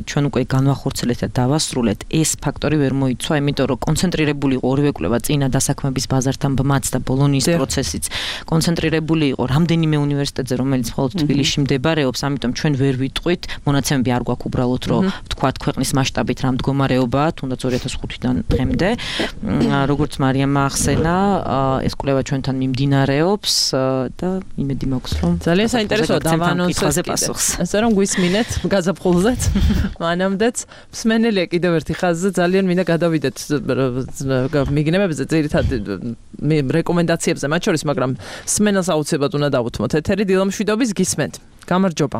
Speaker 5: ჩვენ უკვე განვახორციელებთ და დავასრულეთ, ეს ფაქტორი ვერ მოიცვა, იმიტომ რომ კონცენტრირებული იყო ორივე კვლევა წინა დასაქმების ბაზართან ბმაც და ბოლონიის პროცესიც კონცენტრირებული იყო რამდენიმე უნივერსიტეტზე, რომელიც მხოლოდ თბილისში მდებარეობს, ამიტომ ჩვენ ვერ ვიტყვით, მონაცემები არ გვაქვს უბრალოდ, რომ ვთქვათ ქვეყნის მასშტაბით რა მდგომარეობაა, თუნდაც ორი ათას ხუთიდან დღემდე. როგორც მარიამმა ახსენა, ეს კვლევა ჩვენთან მიმდინარეობს და იმედი მაქვს, რომ
Speaker 3: ძალიან საინტერესოა დავანონსოთ ასე რომ გვისმინეთ გაზაფხულზეც, მანამდეც მსმენელია კიდევ ერთი ხაზზე, ძალიან მინდა გადავიდეთ მიგნებებზე, ძირითადად რეკომენდაციებზე, მათ შორის, მაგრამ სმენელს აუცილებლად უნდა დავუთმოთ ეთერი. დილა მშვიდობის, გისმენთ. გამარჯობა.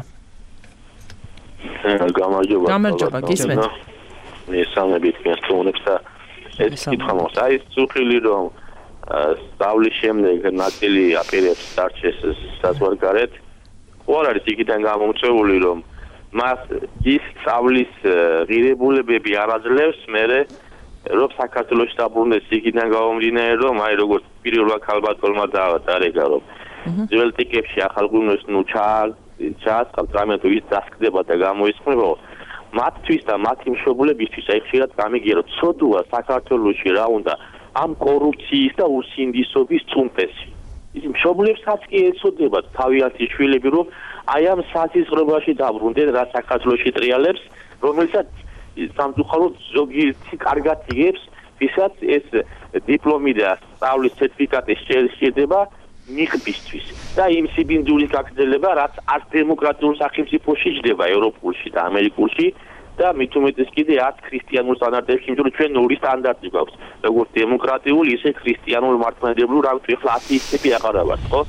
Speaker 12: გამარჯობა.
Speaker 3: გამარჯობა, გისმენთ.
Speaker 12: მესამებით მიასწრუნებს და ეს კითხვა მოხდა. აი, სუხილი რომ სწავლის შემდეგ ნაწილი აპირებს დარჩეს საზღვარგარეთ. What are the things that I'm saying? Რომ მას ის სწავლის ღირებულებები არ აძლევს, მერე რომ საქართველოში დაბრუნდეს იქიდან გამომდინარე, რომ აი როგორც პირველად ქალბატონმა დაარეკა, რომ ძველ ტიკებში ახალგუნოს ნუ ჩააწყალ რამე თუ ის დასკდება და გამოისწრება, მათთვის და მათი მშობლებისთვის აი ხშირად გამიგია, რომ ცოდვა საქართველოში რა უნდა ამ კორუფციის და უსინდისობის წუნპესი. ის მშობლებსაც კი ეცოდებათ თავიანთი შვილები, რომ აი ამ სასიზღვრებაში დაბრუნდნენ რა საქართველოში ტრიალებს, რომელსაც სამწუხაროდ ზოგიერთი კარგად იგებს, ვისაც ეს დიპლომი და სწავლის სერტიფიკატი შეიძლება მიღბისთვის და იმ სიბინძურის გაგრძელება, რაც არც დემოკრატიულ სახელმწიფოში ჯდება ევროპულში და ამერიკულში და მით უმეტეს კიდე არც ქრისტიანულ სტანდარტებში, იმიტომ რომ ჩვენ ორი სტანდარტი გვაქვს, როგორც დემოკრატიული, ისე ქრისტიანულ მართლმადიდებლურ, რა ვთქვი, ახლა ათეისტები აღარა ვართ, ხო?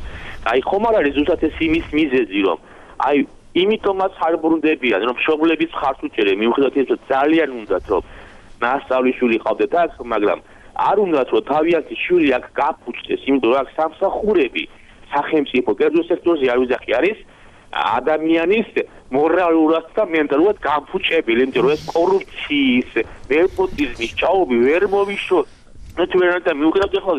Speaker 12: აი ხომ არ არის ზუსტად ეს იმის მიზეზი, რომ აი იმიტომაც არ ბრუნდებიან, რომ მშობლების ხარს უჭერენ, მიუხედავად იმისა, რომ ძალიან უნდათ, რომ ნასწავლი შვილი ყავდეთ აქ, მაგრამ არ უნდათ, რომ თავიანთი შვილი აქ გაფუჭდეს, იმიტომ რომ აქ სამსახურები სახელმწიფო კერძო სექტორზე არ ვიზახი არის ადამიანის მორალურად და მენტალურად გამფუჭებელი, იმიტომ რომ ეს კორუფციის, ნეპოტიზმის ჭაობი ვერ მოვიშოთ. ნეტვერკი მიუხედავად ახლა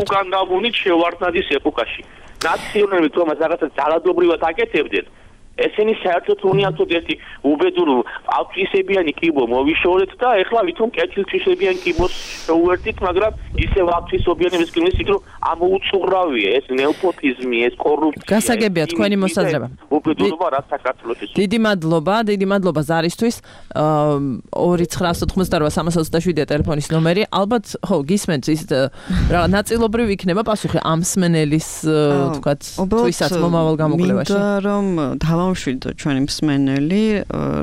Speaker 12: უკან დავუნით შევარდნადის ეპოქაში. ნაციონალები თომას რაღაცა ძალადობრივად აკეთებდნენ. ესენი საერთოდ უნიათოდ ერთი უბედურ ავტვისებიანი კიბო მოვიშორეთ და ეხლა ვითომ კეთილთვისებიანი კიბოს შევერთით, მაგრამ ისევ ავტვისობიანი ვისკნეს იქ რომ ამოუწურავია ეს ნეოპოტიზმი, ეს კორუფცია.
Speaker 3: გასაგებია თქვენი მოსაზრება.
Speaker 12: უბედურობა რაც საქართველოში.
Speaker 3: დიდი მადლობა, დიდი მადლობა ზარისთვის. ორი ცხრა ათოთხმოცდაორი სამას ოცდაშვიდი ტელეფონის ნომერი. ალბათ ხო გისმენთ ის რა ნაწილობრივ იქნება პასუხი ამ მსმენელის თქვათ თვისაც მომავალ გამოკვლევაში.
Speaker 6: მინდა რომ დავამშვიდო ჩვენი მსმენელი,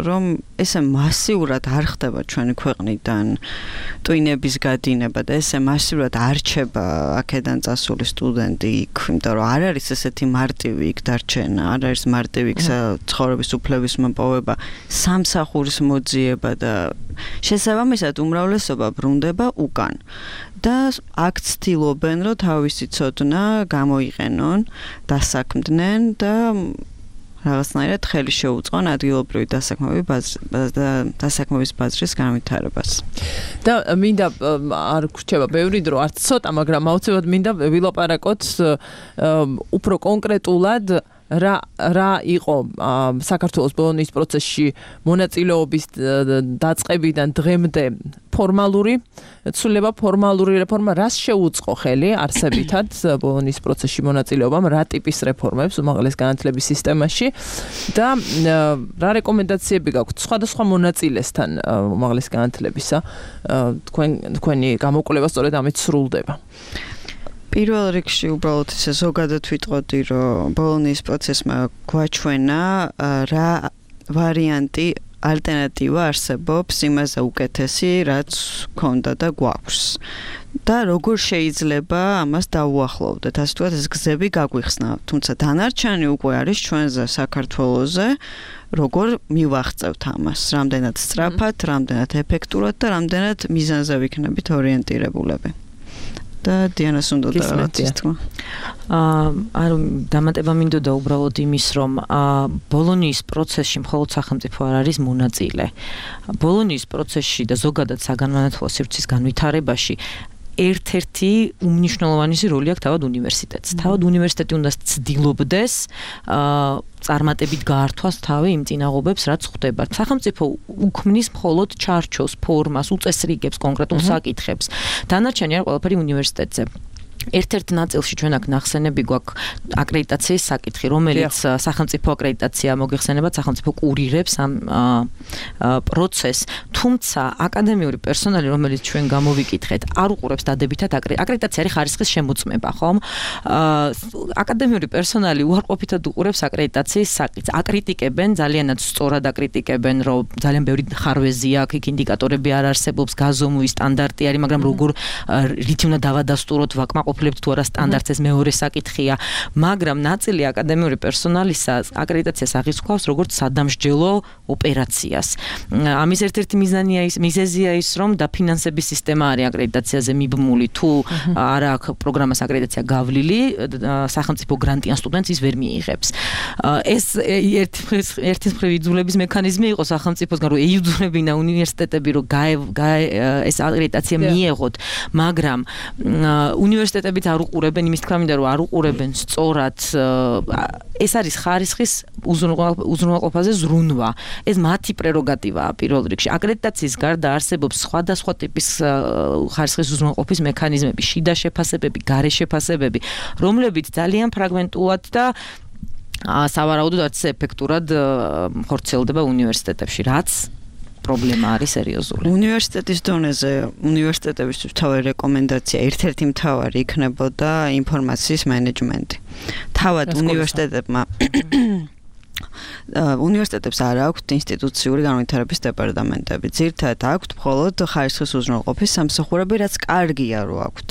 Speaker 6: რომ ესე მასიურად არ ხდება ჩვენი ქვეყნიდან ტვინების გადინება და ესე მასიურად არ რჩება აქედან წასული სტუდენტი იქ, იმიტომ რომ არ არის ესეთი მარტივი იქ დარჩენა, არ არის მარტივი იქ ცხოვრების უფლების მოპოვება, სამსახურის მოძიება და შესაბამისად უმრავლესობა ბრუნდება უკან. და აქ ცდილობენ, რომ თავისი ცოდნა გამოიყენონ, დასაქმდნენ და რაღაცნაირად ხელი შეუწყონ ადგილობრივი დასაქმების დასაქმების ბაზრის განვითარებას.
Speaker 3: და მინდა არ გრჩება ბევრი დრო, არც ცოტა, მაგრამ აუცილებლად მინდა ვილაპარაკოთ უფრო კონკრეტულად რა რა იყო საქართველოს ბოლონის პროცესში მონაწილეობის დაწყებიდან დღემდე ფორმალური ცვლილება, ფორმალური რეფორმა, რას შეუწყო ხელი არსებითად ბოლონის პროცესში მონაწილეობამ, რა ტიპის რეფორმებს უმაღლეს განათლების სისტემაში და რა რეკომენდაციები გაქვთ სხვადასხვა მონაწილესთან უმაღლეს განათლებისა, თქვენ თქვენი გამოკვლევა სწორედ ამით სრულდება.
Speaker 6: პირველ რიგში უბრალოდ ისე ზოგადად ვიტყოდი, რომ ბოლონის პროცესმა გვაჩვენა რა ვარიანტი ალტერნატივა არსებობს იმაზე უკეთესი, რაც ქონდა და გვაქვს. და როგორ შეიძლება ამას დაუახლოვდეთ, ასე ვთქვათ, ეს გზები გაგვიხსნა. თუმცა დანარჩენი უკვე არის ჩვენზე საქართველოზე, როგორ მივაღწევთ ამას, რამდენად სწრაფად, რამდენად ეფექტურად და რამდენად მიზანზე ვიქნებით ორიენტირებულები. და დიანას უნდა დავაცის თქმა.
Speaker 5: აა დამატება მინდოდა უბრალოდ იმის, რომ ბოლონის პროცესში მხოლოდ სახელმწიფო არ არის მონაწილე. ბოლონის პროცესში და ზოგადად საგანმანათლებლო სივრცის განვითარებაში ერთ-ერთი უმნიშვნელოვანესი როლი აქვს თავად უნივერსიტეტს. თავად უნივერსიტეტი უნდა ცდილობდეს აა წარმატებით გაართვას თავი იმ წინაღობებს, რაც ხდება. სახელმწიფო უქმნის მხოლოდ ჩარჩოს, ფორმას, უწესრიგებს კონკრეტულ საკითხებს. დანარჩენი არ ყველაფერი უნივერსიტეტზე. ერთ-ერთ ნაწილში ჩვენ აქ ნახსენები გვაქვს აკრედიტაციის საკითხი, რომელიც სახელმწიფო აკრედიტაცია მოგეხსენებათ, სახელმწიფო კურირებს ამ პროცესს, თუმცა აკადემიური პერსონალი, რომელიც ჩვენ გამოვიკითხეთ, არ უყურებს დადებითად აკრედიტაცია არის ხარისხის შემოწმება, ხომ? აკადემიური პერსონალი უარყოფითად უყურებს აკრედიტაციის საკითხს, აკრიტიკებენ, ძალიანაც სწორად აკრიტიკებენ, რომ ძალიან ბევრი ხარვეზია აქ, იქ ინდიკატორები არ არსებობს, გაზომვის სტანდარტი არის, მაგრამ როგორ რითი უნდა დავადასტუროთ ვაკმაყოფილებით თუ არა სტანდარტს, ეს მეორე საკითხია, მაგრამ ნაწილი აკადემიური პერსონალისა აკრედიტაციას აღიქვავს როგორც სადამსჯელო ოპერაციას. ამის ერთ-ერთი მიზანია ის, მიზეზია ის, რომ დაფინანსების სისტემა არის აკრედიტაციაზე მიბმული, თუ არა აქვს პროგრამას აკრედიტაცია გავლილი, სახელმწიფო გრანტიან სტუდენტს ის ვერ მიიღებს. ეს ერთის მხრივ იძულების მექანიზმი იყო სახელმწიფოსგან, რომ ეიძულებინა უნივერსიტეტები, რომ ეს აკრედიტაცია მიეღოთ, მაგრამ უნივერსიტეტებიც არ უყურებენ, იმის თქმა მინდა, რომ არ უყურებენ სწორად, ეს არის ხარისხის უზრუნველყოფაზე ზრუნვა. ეს მათი პრეროგატივაა პირველ რიგში. აკრედიტაციის გარდა არსებობს სხვადასხვა ტიპის ხარისხის უზრუნველყოფის მექანიზმები, შიდა შეფასებები, გარე შეფასებები, რომლებიც ძალიან ფრაგმენტულად და სავარაუდოდ არც ეფექტურად ხორციელდება უნივერსიტეტებში, რაც პრობლემა არის სერიოზული.
Speaker 6: უნივერსიტეტის დონეზე უნივერსიტეტებისთვის თავი რეკომენდაცია ერთ-ერთი მთავარი იქნებოდა ინფორმაციის მენეჯმენტი. თავად უნივერსიტეტებმა უნივერსიტეტებს არ აქვთ ინსტიტუციური განვითარების დეპარტამენტები. ძირითადად აქვთ მხოლოდ ხარისხის უზრუნველყოფის სამსახურები, რაც კარგია რო აქვთ.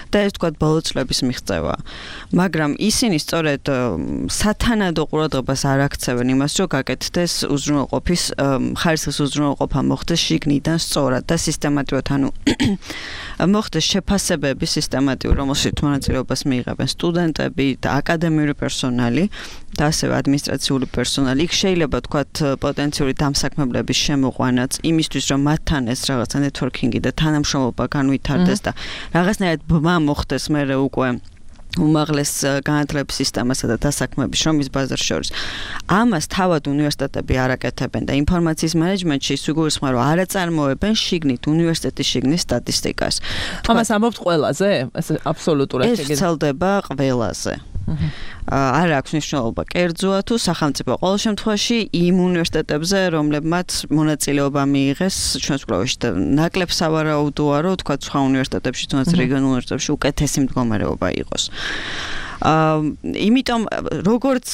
Speaker 6: და ეს თქვა ბოლო წლების მიღწევა. მაგრამ ისინი სწორედ სათანადო ყურადღებას არ აქცევენ იმას, რომ გაკეთდეს უზრუნველყოფის ხარისხის უზრუნველყოფა მოხდეს შიგნიდან სწორად და სისტემატურად, ანუ მოხდეს შეფასებები სისტემატიურ, რომელშიც მონაწილეობას მიიღებენ სტუდენტები და აკადემიური პერსონალი და ასევე ადმინისტრაციული პერსონალი. იქ შეიძლება თქვათ პოტენციური დამსაქმებლების შემოყვანაც იმისთვის, რომ მათთან ეს რაღაცა ნეტვორკინგი და თანამშრომლობა განვითარდეს და რაღაცნაირად ბმა მოხდეს მერე უკვე უმაღლეს განათლების სისტემასა და დასაქმების შრომის ბაზარს შორის. ამას თავად უნივერსიტეტები არ აკეთებენ და ინფორმაციის მენეჯმენტში ის იგულისხმება, რომ არ აწარმოებენ შიგნით უნივერსიტეტის შიგნის სტატისტიკას.
Speaker 3: ამას ამბობთ ყველაზე? ეს აბსოლუტურად
Speaker 6: ეს ვრცელდება ყველაზე. არ აქვს მნიშვნელობა კერძოა თუ სახელმწიფო. ყოველ შემთხვევაში იმ უნივერსიტეტებზე, რომლებმაც მონაწილეობა მიიღეს ჩვენს კვლევაში და ნაკლებ სავარაუდოა, რომ თქვა სხვა უნივერსიტეტებში, თუნდაც რეგიონულ უნივერსიტეტებში უკეთესი მდგომარეობა იყოს. აა იმიტომ როგორც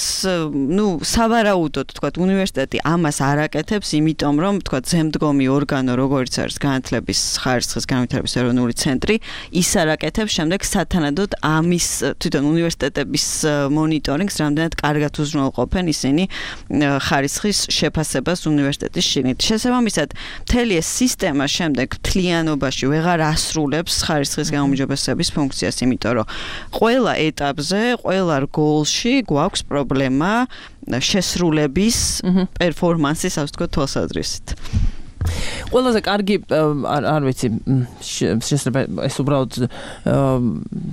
Speaker 6: ნუ სავარაუდოდ თქვა უნივერსიტეტი ამას არ აკეთებს, იმიტომ რომ თქვა ზემდგომი ორგანო როგორც არის განათლების ხარისხის განვითარების ეროვნული ცენტრი, ის არ აკეთებს შემდეგ სათანადოდ ამის თვითონ უნივერსიტეტების მონიტორინგს, რამდენად კარგად უზრუნველყოფენ ისინი ხარისხის შეფასებას უნივერსიტეტის შიგნით. შესაბამისად, მთელი ეს სისტემა შემდეგ მთლიანობაში ვეღარ ასრულებს ხარისხის გაუმჯობესების ფუნქციას, იმიტომ რომ ყველა ეტაპზე ყველა რგოლში გვაქვს პრობლემა შესრულების პერფორმანსის, ასე ვთქვათ, თვალსაზრისით.
Speaker 3: ყველაზე კარგი არ ვიცი შესაძლოა ეს უბრალოდ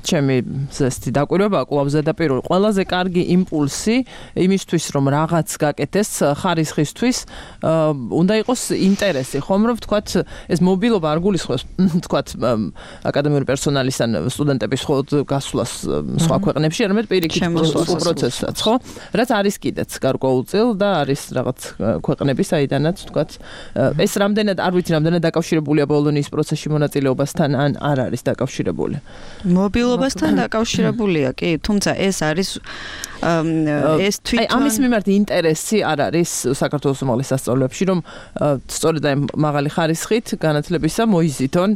Speaker 3: ჩემი ზესტი დაკვირვება კვლავ ზედაპირული ყველაზე კარგი იმპულსი იმისთვის რომ რაღაც გაკეთდეს ხარისხისთვის უნდა იყოს ინტერესი ხომ რომ ვთქვათ ეს მობილობა არ გულისხმობს ვთქვათ აკადემიური პერსონალის ან სტუდენტების მხოლოდ გასვლას სხვა ქვეყნებში არამედ პირიქით პროცესსაც ხო რაც არის კიდეც გარკვეულწილ და არის რაღაც ქვეყნები საიდანაც ვთქვათ ეს რამდენად არ ვიცი რამდენად დაკავშირებულია ბოლონიის პროცესში მონაწილეობასთან ან არ არის დაკავშირებული.
Speaker 6: მობილობასთან დაკავშირებულია, კი, თუმცა ეს არის ეს თვითონ
Speaker 3: აი ამის მიმართ ინტერესი არ არის საქართველოს უმაღლეს სასწავლებლებში რომ სწორედ აი მაღალი ხარისხით განათლებისა მოიზიდონ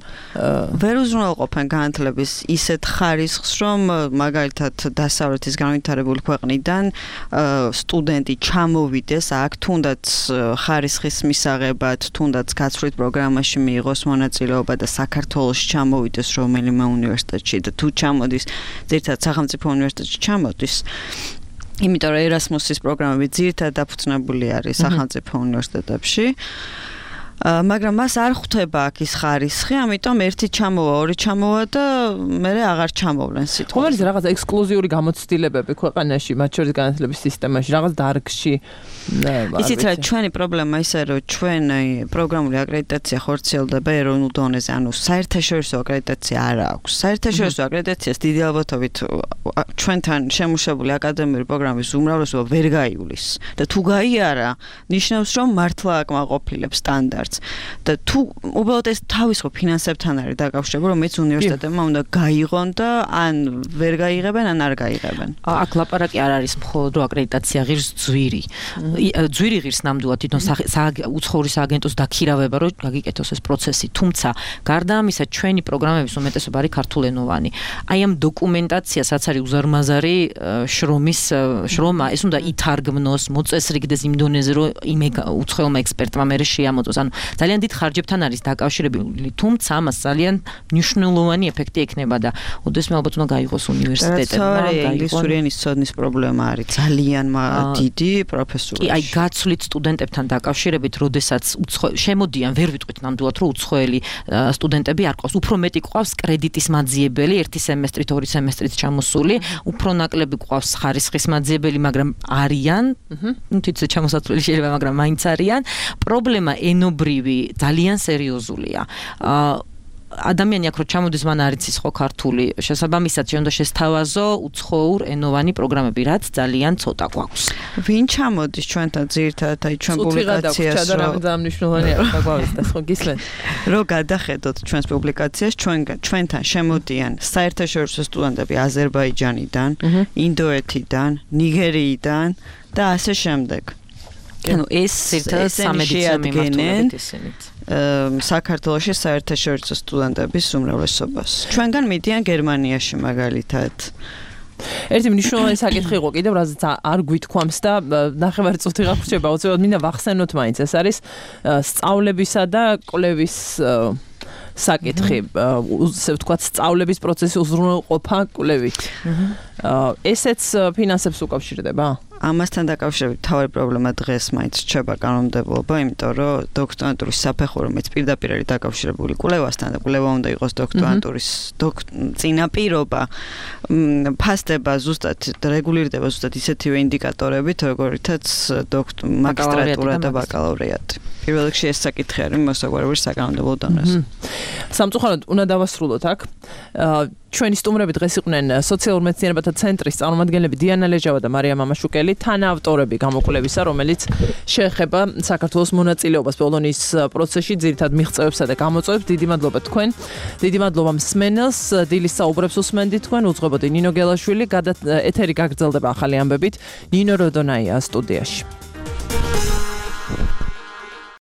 Speaker 6: ვერ უზრუნველყოფენ განათლების ისეთ ხარისხს რომ მაგალითად დასავლეთის განვითარებული ქვეყნიდან სტუდენტი ჩამოვიდეს აქ თუნდაც ხარისხის მისაღებად თუნდაც გაცვლით პროგრამაში მიიღოს მონაწილეობა და საქართველოში ჩამოვიდეს რომელიმე უნივერსიტეტში და თუ ჩამოდის ძირითადად სახელმწიფო უნივერსიტეტში ჩამოდის იმიტომ რომ ერასმუსის პროგრამები ძირითადად დაფუძნებული არის სახელმწიფო უნივერსიტეტებში მაგრამ მას არ ხვდება აქ ის ხარისხი, ამიტომ ერთი ჩამოვა, ორი ჩამოვა და მერე აღარ ჩამოვლენ სიტყვას.
Speaker 3: ხომ არის რაღაც ექსკლუზიური გამოცდილებები ქვეყანაში, მათ შორის განათლების სისტემაში, რაღაც დარგში.
Speaker 6: იცით რა, ჩვენი პრობლემა ისე რომ ჩვენი პროგრამული აკრედიტაცია ხორციელდება ეროვნულ დონეზე, ანუ საერთაშორისო აკრედიტაცია არ აქვს. საერთაშორისო აკრედიტაციას დიდი ალბათობით ჩვენთან შემუშავებული აკადემიური პროგრამის უმრავლესობა ვერ გაივლის. და თუ გაიარა, ნიშნავს რომ მართლა აკმაყოფილებს სტანდარტს. და თუ უბრალოდ ეს თავისუფალ ფინანსებთან არის დაკავშირებული, რომ მეც უნივერსიტეტებმა უნდა გაიღონ და ან ვერ გაიღებენ, ან არ გაიღებენ.
Speaker 5: აქ ლაპარაკი არ არის მხოლოდ რომ აკრედიტაცია ღირს ძვირი. ძვირი ღირს ნამდვილად თვითონ უცხოური სააგენტოს დაქირავება, რომ გაგიკეთოს ეს პროცესი. თუმცა, გარდა ამისა, ჩვენი პროგრამების უმეტესობა არის ქართულენოვანი. აი ამ დოკუმენტაციასაც არის უზარმაზარი შრომის შრომა, ეს უნდა ითარგმნოს, მოწესრიგდეს იმ დონეზე, რომ იმ უცხოელმა ექსპერტმა მერე შეამოწოს. ანუ ძალიან დიდ ხარჯებთან არის დაკავშირებული, თუმცა ამას ძალიან მნიშვნელოვანი ეფექტი ექნება და ოდესმე ალბათ უნდა გაიღოს უნივერსიტეტებმა,
Speaker 6: გაიღოს ინგლისური ენის ცოდნის პრობლემა არის ძალიან დიდი პროფესორში.
Speaker 5: კი, აი გაცვლით სტუდენტებთან დაკავშირებით, როდესაც შემოდიან, ვერ ვიტყვით ნამდვილად, რომ უცხოელი სტუდენტები არ ყავს, უფრო მეტი ყავს კრედიტის მაძიებელი, ერთი სემესტრით, ორი სემესტრით ჩამოსული, უფრო ნაკლები ყავს ხარისხის მაძიებელი, მაგრამ არიან, ნუ თვითონ ჩამოსაცვლელი შეიძლება, მაგრამ მაინც არიან. პრობლემა ენობრივი ძალიან სერიოზულია. ადამიანი აქ რო ჩამოდის მან არ იცის ხო ქართული შესაბამისად შეიძლება შესთავაზო უცხოურ ენოვანი პროგრამები რაც ძალიან ცოტა გვაქვს
Speaker 6: ვინ ჩამოდის ჩვენთან ძირითადად აი ჩვენ პუბლიკაციას
Speaker 3: რო დამნიშნულოვანია რა გვავიწყდეს ხო გისმენთ
Speaker 6: რო გადახედოთ ჩვენს პუბლიკაციას ჩვენ ჩვენთან შემოდიან საერთაშორისო სტუდენტები აზერბაიჯანიდან ინდოეთიდან ნიგერიიდან და ასე შემდეგ
Speaker 5: ანუ ეს ერთად სამედიცინო მიმართულებით ისინიც
Speaker 6: საქართველოში საერთაშორისო სტუდენტების უმრავლესობას. ჩვენგან მიდიან გერმანიაში მაგალითად.
Speaker 3: ერთი მნიშვნელოვანი საკითხი იყო კიდევ, რაზეც არ გვითქვამს და ნახევარი წუთი გაგვრჩება, უცებად მინდა ვახსენოთ მაინც, ეს არის სწავლებისა და კვლევის საკითხი, ასე ვთქვათ, სწავლების პროცესი უზრუნველყოფა კვლევით. ესეც ფინანსებს უკავშირდება?
Speaker 6: ამასთან დაკავშირებით თავი პრობლემა დღეს მაინც რჩება კანონმდებლობა, იმიტომ რომ დოქტორანტურის საფეხური რომელიც პირდაპირ არის დაკავშირებული კვლევასთან და კვლევა უნდა იყოს დოქტორანტურის წინაპირობა, ფასდება ზუსტად რეგულირდება ზუსტად ისეთივე ინდიკატორებით, როგორითაც მაგისტრატურა და ბაკალავრიატი. პირველ რიგში ეს საკითხი არის მოსაგვარებელი საკანონმდებლო დონეზე.
Speaker 3: სამწუხაროდ უნდა დავასრულოთ აქ. ჩვენი სტუმრები დღეს იყვნენ სოციალურ მეცნიერებათა ცენტრის წარმომადგენლები დიანა ლეჟავა და მარია მამაშუკელი, თანაავტორები გამოკვლევისა, რომელიც შეეხება საქართველოს მონაწილეობას ბოლონის პროცესში, ძირითადად მიღწევებსა და გამოწვევებს. დიდი მადლობა თქვენ. დიდი მადლობა მსმენელს, დილის საუბრებს უსმენდით თქვენ, უძღვებოდი ნინო გელაშვილი, ეთერი გაგრძელდება ახალი ამბებით. ნინო როდონაია სტუდიაში.